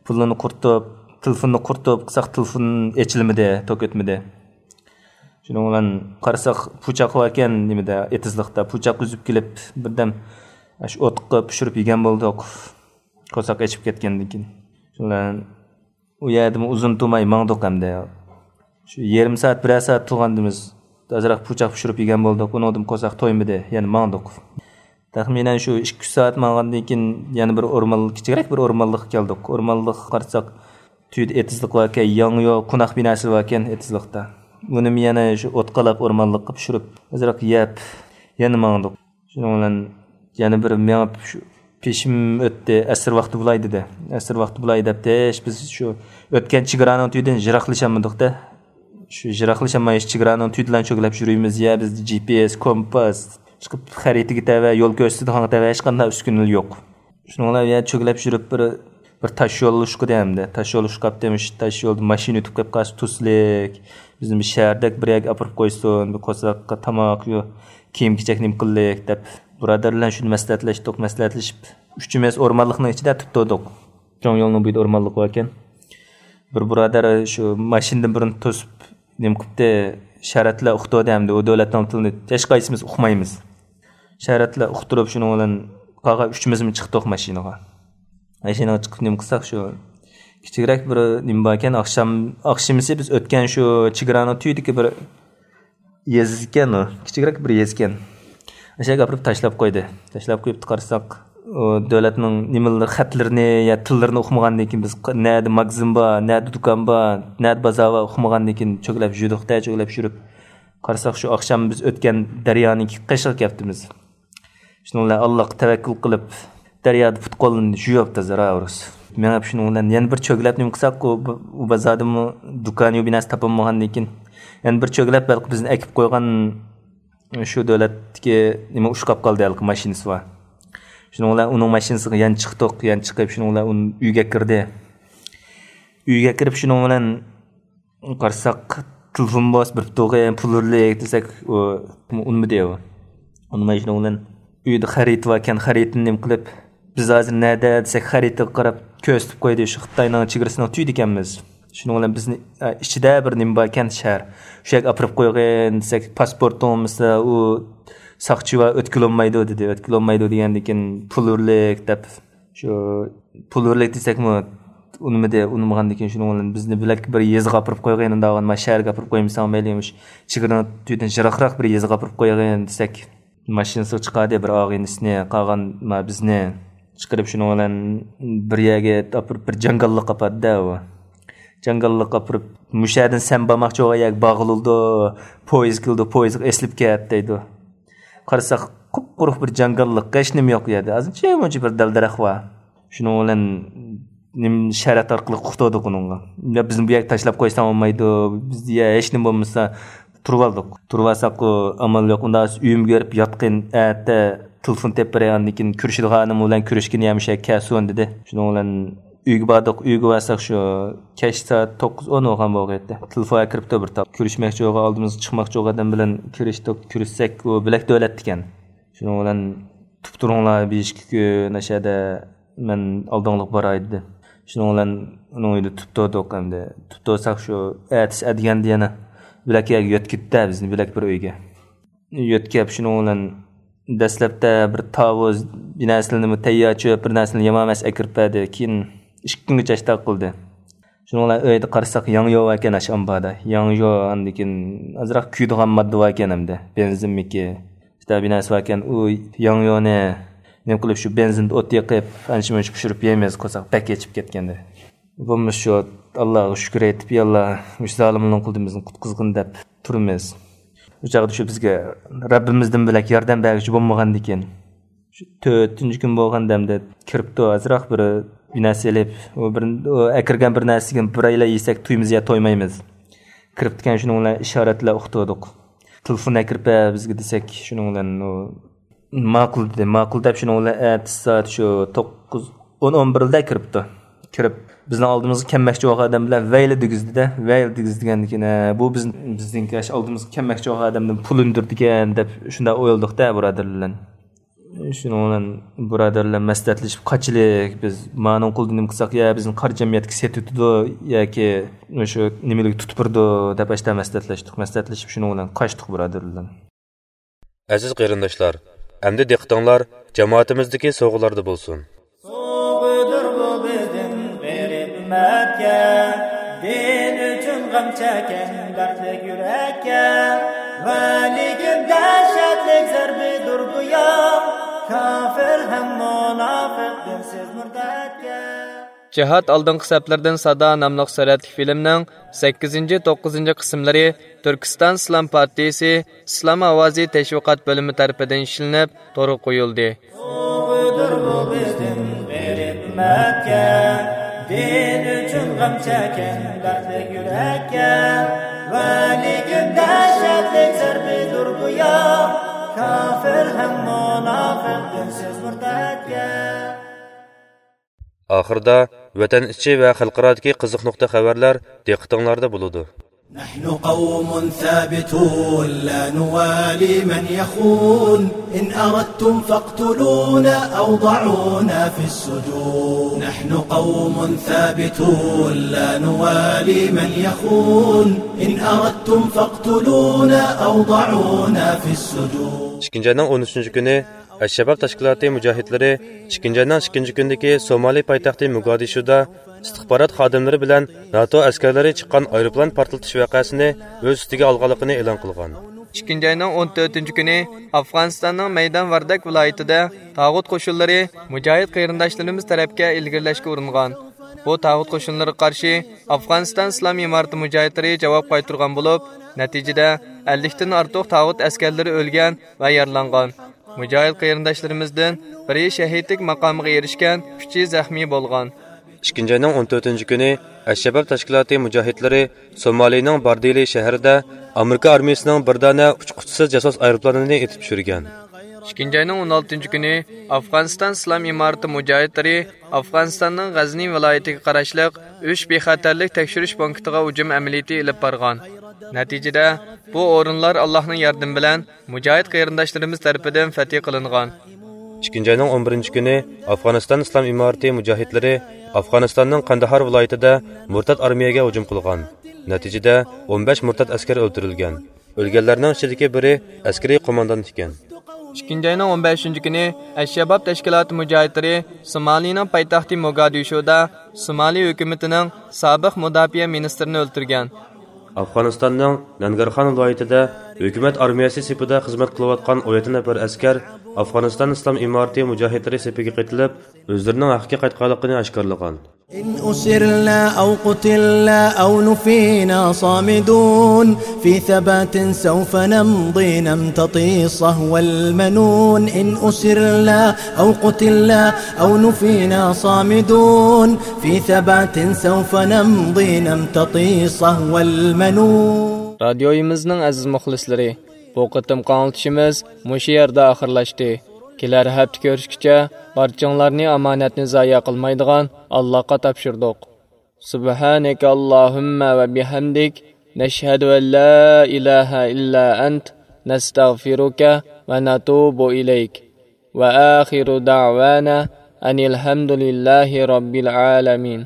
پۇللىرىنى قۇرۇتۇپ، تېلېفوننى قۇرۇتۇپ قىلساق، تېلېفون ئېچىلمىدى، توك ئۆتمىدى. شۇنىڭ بىلەن قارىساق، پۇچاق باركەن نېمىدە، ئېتىزلىقتا. پۇچاق ئۈزۈپ كېلىپ، بىردەم شۇ ئوتقا پىشۇرۇپ يېگەن بولدۇق. قورساق ئېچىپ كەتكەندىن كېيىن. شۇنىڭ بىلەن ئۇ يەردىمۇ ئۇزۇن تۇرماي ماڭدۇق ئەمدى. شۇ يېرىم سائەت، بىرەر سائەت تۇرغاندىمىز، ئازراق پۇچاق پىشۇرۇپ يېگەن بولدۇق. ئۇنىڭدىن قورساق تويمىدى، يەنە ماڭدۇق. تەخمىنەن شۇ ئىككى، ئۈچ سائەت ماڭغاندىن كېيىن يەنە بىر ئورمان، كىچىكرەك بىر ئورمانلىققا كەلدۇق. ئورمانلىققا قارىساق، تۈۋىدە ئېتىزلىق باركەن، ياڭيۇ، قوناق بىناسى باركەن ئېتىزلىقتا. بۇنىمۇ يەنە شۇ ئوت قالاپ ئورمانلىققا پىشۇرۇپ، ئازراق يەپ، يەنە ماڭدۇق. شۇنىڭ بىلەن يەنە بىر مېڭىپ، شۇ پېشىم ئۆتتى، ئەسىر ۋاقتى بولاي دېدى. ئەسىر ۋاقتى بولاي دەپتىش، بىز شۇ ئۆتكەن چېگرانىڭ تۈۋىدىن يىراقلىشالمىدۇق-دە. شۇ يىراقلىشالماي، چېگرانىڭ تۈۋىدىلا چۆگىلەپ يۈرىمىز. يا بىزدە جى پى ئېس، كومپاس، چىقىپ خەرىتىگە تەۋە، يول كۆرسىتىدىغانغا تەۋە ھېچقانداق ئۈسكۈنىلەر يوق. شۇنىڭ بىلەن يا چۆگىلەپ يۈرۈپ بىر، بىر تاش يول ئۇشقىدى ئەمدى. تاش يول ئۇشقاپتىمىش، تاش يولدا ماشىنا ئۆتۈپ قېلىپ قالسا توسىلىك. بىزنى بىر شەھەردەك بىر يەرگە ئاپىرىپ قويسۇن، بىر قورساققا تاماق، يو-، كىيىم-كېچەك نېمە قىلىلىك دەپ، بۇرادەرلەر بىلەن شۇنى مەسلىھەتلەشتۇق، مەسلىھەتلىشىپ، ئۈچىمىز ئورمانلىقنىڭ ئىچىدە تۇرۇپ تۇردۇق. چوڭ يولنىڭ بويىدا ئورمانلىق باركەن. بىر بۇرادەر شۇ ماشىنىدىن بىرنى توسۇپ، نېمە قىپتۇ، شەرەتلەر ئۇقتۇ دەمدى. ئۇ دۆلەتنىڭ تىلىنى ھېچقايسىمىز ئۇقمايمىز. شەرەتلەر ئۇقتۇرۇپ، شۇنىڭ بىلەن قالغان ئۈچىمىزمۇ چىقتۇق ماشىنىغا. ماشىنىغا چىقىپ نېمە قىلساق، شۇ كىچىكرەك بىر نېمە باركەن، ئاخشام، ئاخشىمىسى بىز ئۆتكەن شۇ چېگرانىڭ تۈۋىدىكى بىر يېزا ئىكەن ئۇ، كىچىكرەك بىر يېزا ئىكەن. ئاشۇ يەرگە ئاپىرىپ تاشلاپ قويدى. تاشلاپ قويۇپتۇ، قارىساق، ئۇ دۆلەتنىڭ نېمىلىرى، خەتلىرىنى يا تىللىرىنى ئۇقمىغاندىن كېيىن، بىز ق-، نەدە ماگىزىن بار، نەدە دۇكان بار، نەدە بازار بار ئۇقمىغاندىن كېيىن چۆگىلەپ يۈردۇق-دە، چۆگىلەپ يۈرۈپ، قارىساق، شۇ ئاخشام بىز ئۆتكەن دەريانىڭ قېشىغا كەپتىمىز. شۇنىڭ بىلەن ئاللاغا تەۋەككۈل قىلىپ، دەريادا پۇت-قولىنى يۇيۇپ تازا راۋۇرۇس. مېڭىپ شۇنىڭ بىلەن يەنە بىر چۆگىلەپ نېمە قىلساق، ئۇ، ئۇ بازاردىمۇ دۇكان يو بىناسى تاپالمىغاندىن كېيىن، يەنە بىر چۆگىلەپ ھېلىقى بىزنى ئەكىپ قويغان شۇ دۆلەتتىكى نېمە ئۇشقاپ قالدى، ھېلىقى ماشىنىسى بار. شۇنىڭ بىلەن ئۇنىڭ ماشىنىسىغا يەنە چىقتۇق، يەنە چىقىپ شۇنىڭ بىلەن ئۇنى ئۆيگە كىردى. ئۆيگە كىرىپ شۇنىڭ بىلەن قارىساق، تېلېفون بولسا بېرىپ تۇرغىن، پۇل ئۇرۇلدى دېسەك، ئۇ ئۇنىمىدى ئۇ. ئۇنىماي شۇنىڭ بىلەن ئۆيدە خەرىتە باركەن، خەرىتىنى نېمە قىلىپ، بىز ھازىر نەدە دېسەك، خەرىتىگە قاراپ كۆرسىتىپ قويدى، شۇ خىتاينىڭ چېگرىسىنىڭ تۈۋىدە ئىكەنمىز. شۇنىڭ بىلەن بىزنى، ئە، ئىچىدە بىر نېمە باركەن، شەھەر. شۇ يەرگە ئاپىرىپ قويغىن دېسەك، پاسپورتىڭ بولمىسا، ئۇ ساقچى بار، ئۆتكىلى بولمايدۇ دېدى. ئۆتكىلى بولمايدۇ دېگەندىن كېيىن، پۇل ئۇرۇلدى دەپ، شۇ پۇل بېرەيلىك دېسەكمۇ ئۇنىمىدى. ئۇنىمىغاندىن كېيىن شۇنىڭ بىلەن بىزنى بۆلەك بىر يېزىغا ئاپىرىپ قويغىن، ئۇنداق ما شەھەرگە ئاپىرىپ قويمىساڭ مەيلى، مۇشۇ چېگرىنىڭ تۈۋىدىن يىراقراق بىر يېزىغا ئاپىرىپ قويغىن دېسەك، ماشىنىسىغا چىقاردى بىر ئاغىنىسىنى، قالغان ما بىزنى چىقىرىپ شۇنىڭ بىلەن بىر يەرگە ئاپىرىپ بىر جاڭگاللىققا ئاپاردى-دە ئۇ. جاڭگاللىققا ئاپىرىپ، مۇشۇ يەردىن سەن بارماقچى بولغان يەرگە بارغىلى بولىدۇ، پويىز كېلىدۇ، پويىزغا ئېسىلىپ كەت دەيدۇ. قارىساق، قۇپقۇرۇق بىر جاڭگاللىق، ھېچنېمە يوق ئۇ يەردە. ئازىنچە مۇنچە بىر دەل-دەرەخ بار. شۇنىڭ بىلەن نېمە ئىشارەت ئارقىلىق ئۇقتۇردۇق ئۇنىڭغا. يا بىزنى بۇ يەرگە تاشلاپ قويساڭ بولمايدۇ، بىز يا ھېچنېمە بولمىسا تۇرۇۋالدۇق. تۇرۇۋالساققۇ ئامال يوق. ئۇنداق ئۆيۈمگە بېرىپ ياتقىن، ئەتە تېلېفون تېپىپ بېرەي، ئاندىن كېيىن كۆرۈشىدىغان ئادەم بىلەن كۆرۈشكىنى يا مۇشۇ يەرگە كەلسۇن دېدى. شۇنىڭ بىلەن ئۆيگە باردۇق. ئۆيگە بارساق شۇ كەچ سائەت توققۇز ئون بولغان بولغىيتتى. تېلېفونغا كىرىپتۇ بىر تاپ. كۆرۈشمەكچى بولغان، ئالدىمىزغا چىقماقچى بولغان ئادەم بىلەن كۆرۈشتۇق. كۆرۈشسەك ئۇ بۆلەك دۆلەتتىكەن. شۇنىڭ بىلەن تۇرۇپ تۇرۇڭلار، بېشىككە كۈن ئاشەدە مەن ئالدىڭلىق باراي دېدى. شۇنىڭ بىلەن ئۇنىڭ ئۆيىدە تۇرۇپ تۇردۇق ئەمدى. تۇرۇپ تۇرساق شۇ ئەتىسى ئەتىگەندە يەنە بۆلەك يەرگە يۆتكىدى-دە بىزنى، بۆلەك بىر ئۆيگە. يۆتكەپ شۇنىڭ بىلەن دەسلەپتە بىر تاۋۇز، بىر نەرسىلەرنى تەييار چۆپ، بىر نەرسىلەرنى يامان ئەمەس ئەكىرىپ بەردى. كېيىن ئىككى كۈنگىچە ئاشتاق قىلدى. شۇنىڭ بىلەن ئۆيدە قارىساق ياڭيۇ باركەن ئاشۇ ئامباردا. ياڭيۇ ئاندىن كېيىن ئازراق كۆيىدىغان ماددا باركەن ئەمدى. بېنزىنمىكى، ئىشتە بىر نەرسە باركەن. ئۇ ياڭيۇنى نېمە قىلىپ شۇ بېنزىندا ئوت يېقىپ، ئانچە-مۇنچە پىشۇرۇپ يەيمىز قىلساق بەك ئېچىپ كەتكەندى. بولمىسا شۇ ئاللاغا شۈكۈر ئېيتىپ، يا ئاللا، مۇشۇ زالىمنىڭ قولىدىن بىزنى قۇتقۇزغىن دەپ تۇرىمىز. شۇ چاغدا شۇ بىزگە رەببىمىزدىن بۆلەك ياردەم بەرگۈچى بولمىغاندىكىن، شۇ تۆتىنچى كۈن بولغان دەمدە كىرىپتۇ، ئازراق بىر، بىر نەرسە ئېلىپ، ئۇ بىر، ئۇ ئەكىرگەن بىر نەرسىگە بىرەيلەن يېسەك تويىمىز يا تويمايمىز. كىرىپتىكەن، شۇنىڭ بىلەن ئىشارەتلەر ئۇقتۇردۇق. تېلېفون ئەكىرىپ بەر بىزگە دېسەك، شۇنىڭ بىلەن ئۇ ماقۇل دېدى. ماقۇل دەپ شۇنىڭ بىلەن ئەتىسى سائەت شۇ توققۇز، ئون، ئون بىردە كىرىپتۇ. كىرىپ بىزنىڭ ئالدىمىزغا كەلمەكچى بولغان ئادەم بىلەن ۋەيلە دېگۈزدى-دە، ۋەيلە دېگۈزدى دېگەندىن كېيىن، ھە، بۇ بىز، بىزنىڭكى ئاشۇ ئالدىمىزغا كەلمەكچى بولغان ئادەمدىن پۇل ئۈندۈردىكەن دەپ شۇنداق ئويلىدۇق-دە بۇرادەرلەر بىلەن. شۇنىڭ بىلەن بۇرادەرلەر مەسلىھەتلىشىپ، قاچىلىك، بىز مانىڭ قولىدا نېمە قىلساق، يا بىزنى قارا جەمئىيەتكە سېتىۋېتىدۇ ياكى شۇ نېمىلىك تۇتۇپ بېرىدۇ دەپ ئاشتا مەسلىھەتلەشتۇق. مەسلىھەتلىشىپ شۇنىڭ بىلەن قاچتۇق بۇرادەرلەر بىلەن. ئەزىز قېرىنداشلار، ئەمدى دىققىتىڭلار جامائىتىمىزدىكى سوۋغىلاردا بولسۇن. سوۋغىدۇر بۇ بىزدىن غېرىب ئۈممەتكە، دىن ئۈچۈن غەم چەككەن دەردلىك يۈرەككە. ۋەلىكىن دەھشەتلىك زەربىدۇر بۇ يا، كاپىر ھەم مۇناپىق دىنسىز مۇرتەتكە. جىھاد ئالدىنقى سەپلىرىدىن سادا ناملىق سۈرەتلىك فىلىمنىڭ سەككىزىنچى، توققۇزىنچى قىسىملىرى تۈركىستان ئىسلام پارتىيىسى ئىسلام ئاۋازى تەشۋىقات بۆلۈمى تەرىپىدىن ئىشلىنىپ، تورغا قويۇلدى. سوۋغىدۇر بۇ بىزدىن غېرىب ئۈممەتكە، دىن ئۈچۈن غەم چەككەن دەردلىك يۈرەككە. ۋەلىكىن دەھشەتلىك زەربىدۇر بۇ يا، كاپىر ھەم مۇناپىق دىنسىز مۇرتەتكە. ئاخىرىدا ۋەتەن ئىچى ۋە خەلقئارادىكى قىزىق نۇقتا خەۋەرلەر دىققىتىڭلاردا بولىدۇ. نحن قوم ثابتون لا نوالي من يخون، إن أردتم فاقتلونا أو ضعونا في السجون. نحن قوم ثابتون لا نوالي من يخون، إن أردتم فاقتلونا أو ضعونا في السجون. ئىككىنچى ئاينىڭ ئون ئۈچىنچى كۈنى ئەششەباب تەشكىلاتى مۇجاھىدلىرى ئىككىنچى ئاينىڭ ئىككىنچى كۈنىدىكى سومالى پايتەختى موگادىشۇدا ئىستىخبارات خادىملىرى بىلەن ناتو ئەسكەرلىرى چىققان ئايروپىلان پارتلىتىش ۋەقەسىنى ئۆز ئۈستىگە ئالغانلىقىنى ئېلان قىلغان. ئىككىنچى ئاينىڭ ئون تۆتىنچى كۈنى ئافغانىستاننىڭ مەيدان ۋاردەك ۋىلايىتىدە تاغۇت قوشۇنلىرى مۇجاھىد قېرىنداشلىرىمىز تەرەپكە ئىلگىرىلەشكە ئۇرۇنغان. بۇ تاغۇت قوشۇنلىرىغا قارشى ئافغانىستان ئىسلام ئىمارىتى مۇجاھىدلىرى جاۋاب قايتۇرغان بولۇپ، نەتىجىدە ئەللىكتىن ئارتۇق تاغۇت ئەسكەرلىرى ئۆلگەن ۋە يارىلانغان. مۇجاھىد قېرىنداشلىرىمىزدىن بىرى شەھىدلىك ماقامىغا ئېرىشكەن، ئۈچى زەخمىي بولغان. ئىككىنچى ئاينىڭ ئون تۆتىنچى كۈنى ئەششەباب تەشكىلاتى مۇجاھىدلىرى سومالىنىڭ باردىلى شەھىرىدە ئامېرىكا ئارمىيىسىنىڭ بىر دانە ئۇچقۇچىسىز جاسۇس ئايروپىلانىنى ئېتىپ چۈشۈرگەن. ئىككىنچى ئاينىڭ ئون ئالتىنچى كۈنى ئافغانىستان ئىسلام ئىمارىتى مۇجاھىدلىرى ئافغانىستاننىڭ غەزنى ۋىلايىتىگە قاراشلىق ئۈچ بىخەتەرلىك تەكشۈرۈش پونكىتىغا ھۇجۇم ئەمەلىيىتى ئېلىپ بارغان. نەتىجىدە، بۇ ئورۇنلار ئاللاھنىڭ ياردىمى بىلەن مۇجاھىد قېرىنداشلىرىمىز تەرىپىدىن فەتھى قىلىنغان. ئىككىنچى ئاينىڭ ئون بىرىنچى كۈنى ئافغانىستان ئىسلام ئىمارىتى مۇجاھىدلىرى ئافغانىستاننىڭ قانداھار ۋىلايىتىدە مۇرتەت ئارمىيەگە ھۇجۇم قىلغان. نەتىجىدە، ئون بەش مۇرتەت ئەسكەر ئۆلتۈرۈلگەن. ئۆلگەنلەرنىڭ ئىچىدىكى بىرى ئەسكىرىي قوماندان ئىكەن. ئىككىنچى ئاينىڭ ئون بەشىنچى كۈنى ئەششەباب تەشكىلاتى مۇجاھىدلىرى سومالىنىڭ پايتەختى موگادىشۇدا سومالى ھۆكۈمىتىنىڭ سابىق مۇداپىئە مىنىستىرىنى ئۆلتۈرگەن. ئافغانىستاننىڭ نەنگەرخان ۋىلايىتىدە ھۆكۈمەت ئارمىيەسى سېپىدە خىزمەت قىلىۋاتقان ئون يەتتە نەپەر ئەسكەر ئافغانىستان ئىسلام ئىمارىتى مۇجاھىدلىرى سېپىگە قېتىلىپ، ئۆزلىرىنىڭ ھەققىگە قايتقانلىقىنى ئاشكارىلىغان. إن أسرنا أو قتلنا أو نفينا صامدون، في ثبات سوف نمضي نمتطي صهو المنون. إن أسرنا أو قتلنا أو نفينا صامدون، في ثبات سوف نمضي نمتطي صهو المنون. رادىيويىمىزنىڭ ئەزىز مۇخلىسلىرى، بۇ قېتىمقى ئاڭلىتىشىمىز مۇشۇ يەردە ئاخىرلاشتى. كېلەر ھەپتە كۆرۈشكىچە بارچىڭلارنى ئامانەتنى زايە قىلمايدىغان ئاللاغا تاپشۇردۇق. سبحانك اللهم وبحمدك، نشهد أن لا إله إلا أنت، نستغفرك ونتوب إليك. وآخر دعوانا أن الحمد لله رب العالمين.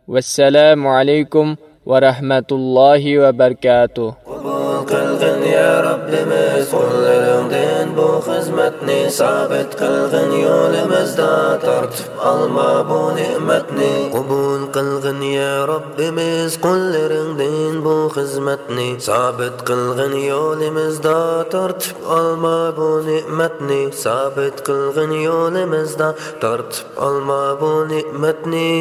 والسلام عليكم ورحمة الله وبركاته. قوبۇل قىلغىن يا رەببىمىز قۇللىرىڭدىن بۇ خىزمەتنى، سابىت قىلغىن يولىمىزدا تارتىپ ئالما بۇ نېمەتنى. قوبۇل قىلغىن يا رەببىمىز قۇللىرىڭدىن بۇ خىزمەتنى، سابىت قىلغىن يولىمىزدا تارتىپ ئالما بۇ نېمەتنى، سابىت قىلغىن يولىمىزدا تارتىپ ئالما بۇ نېمەتنى.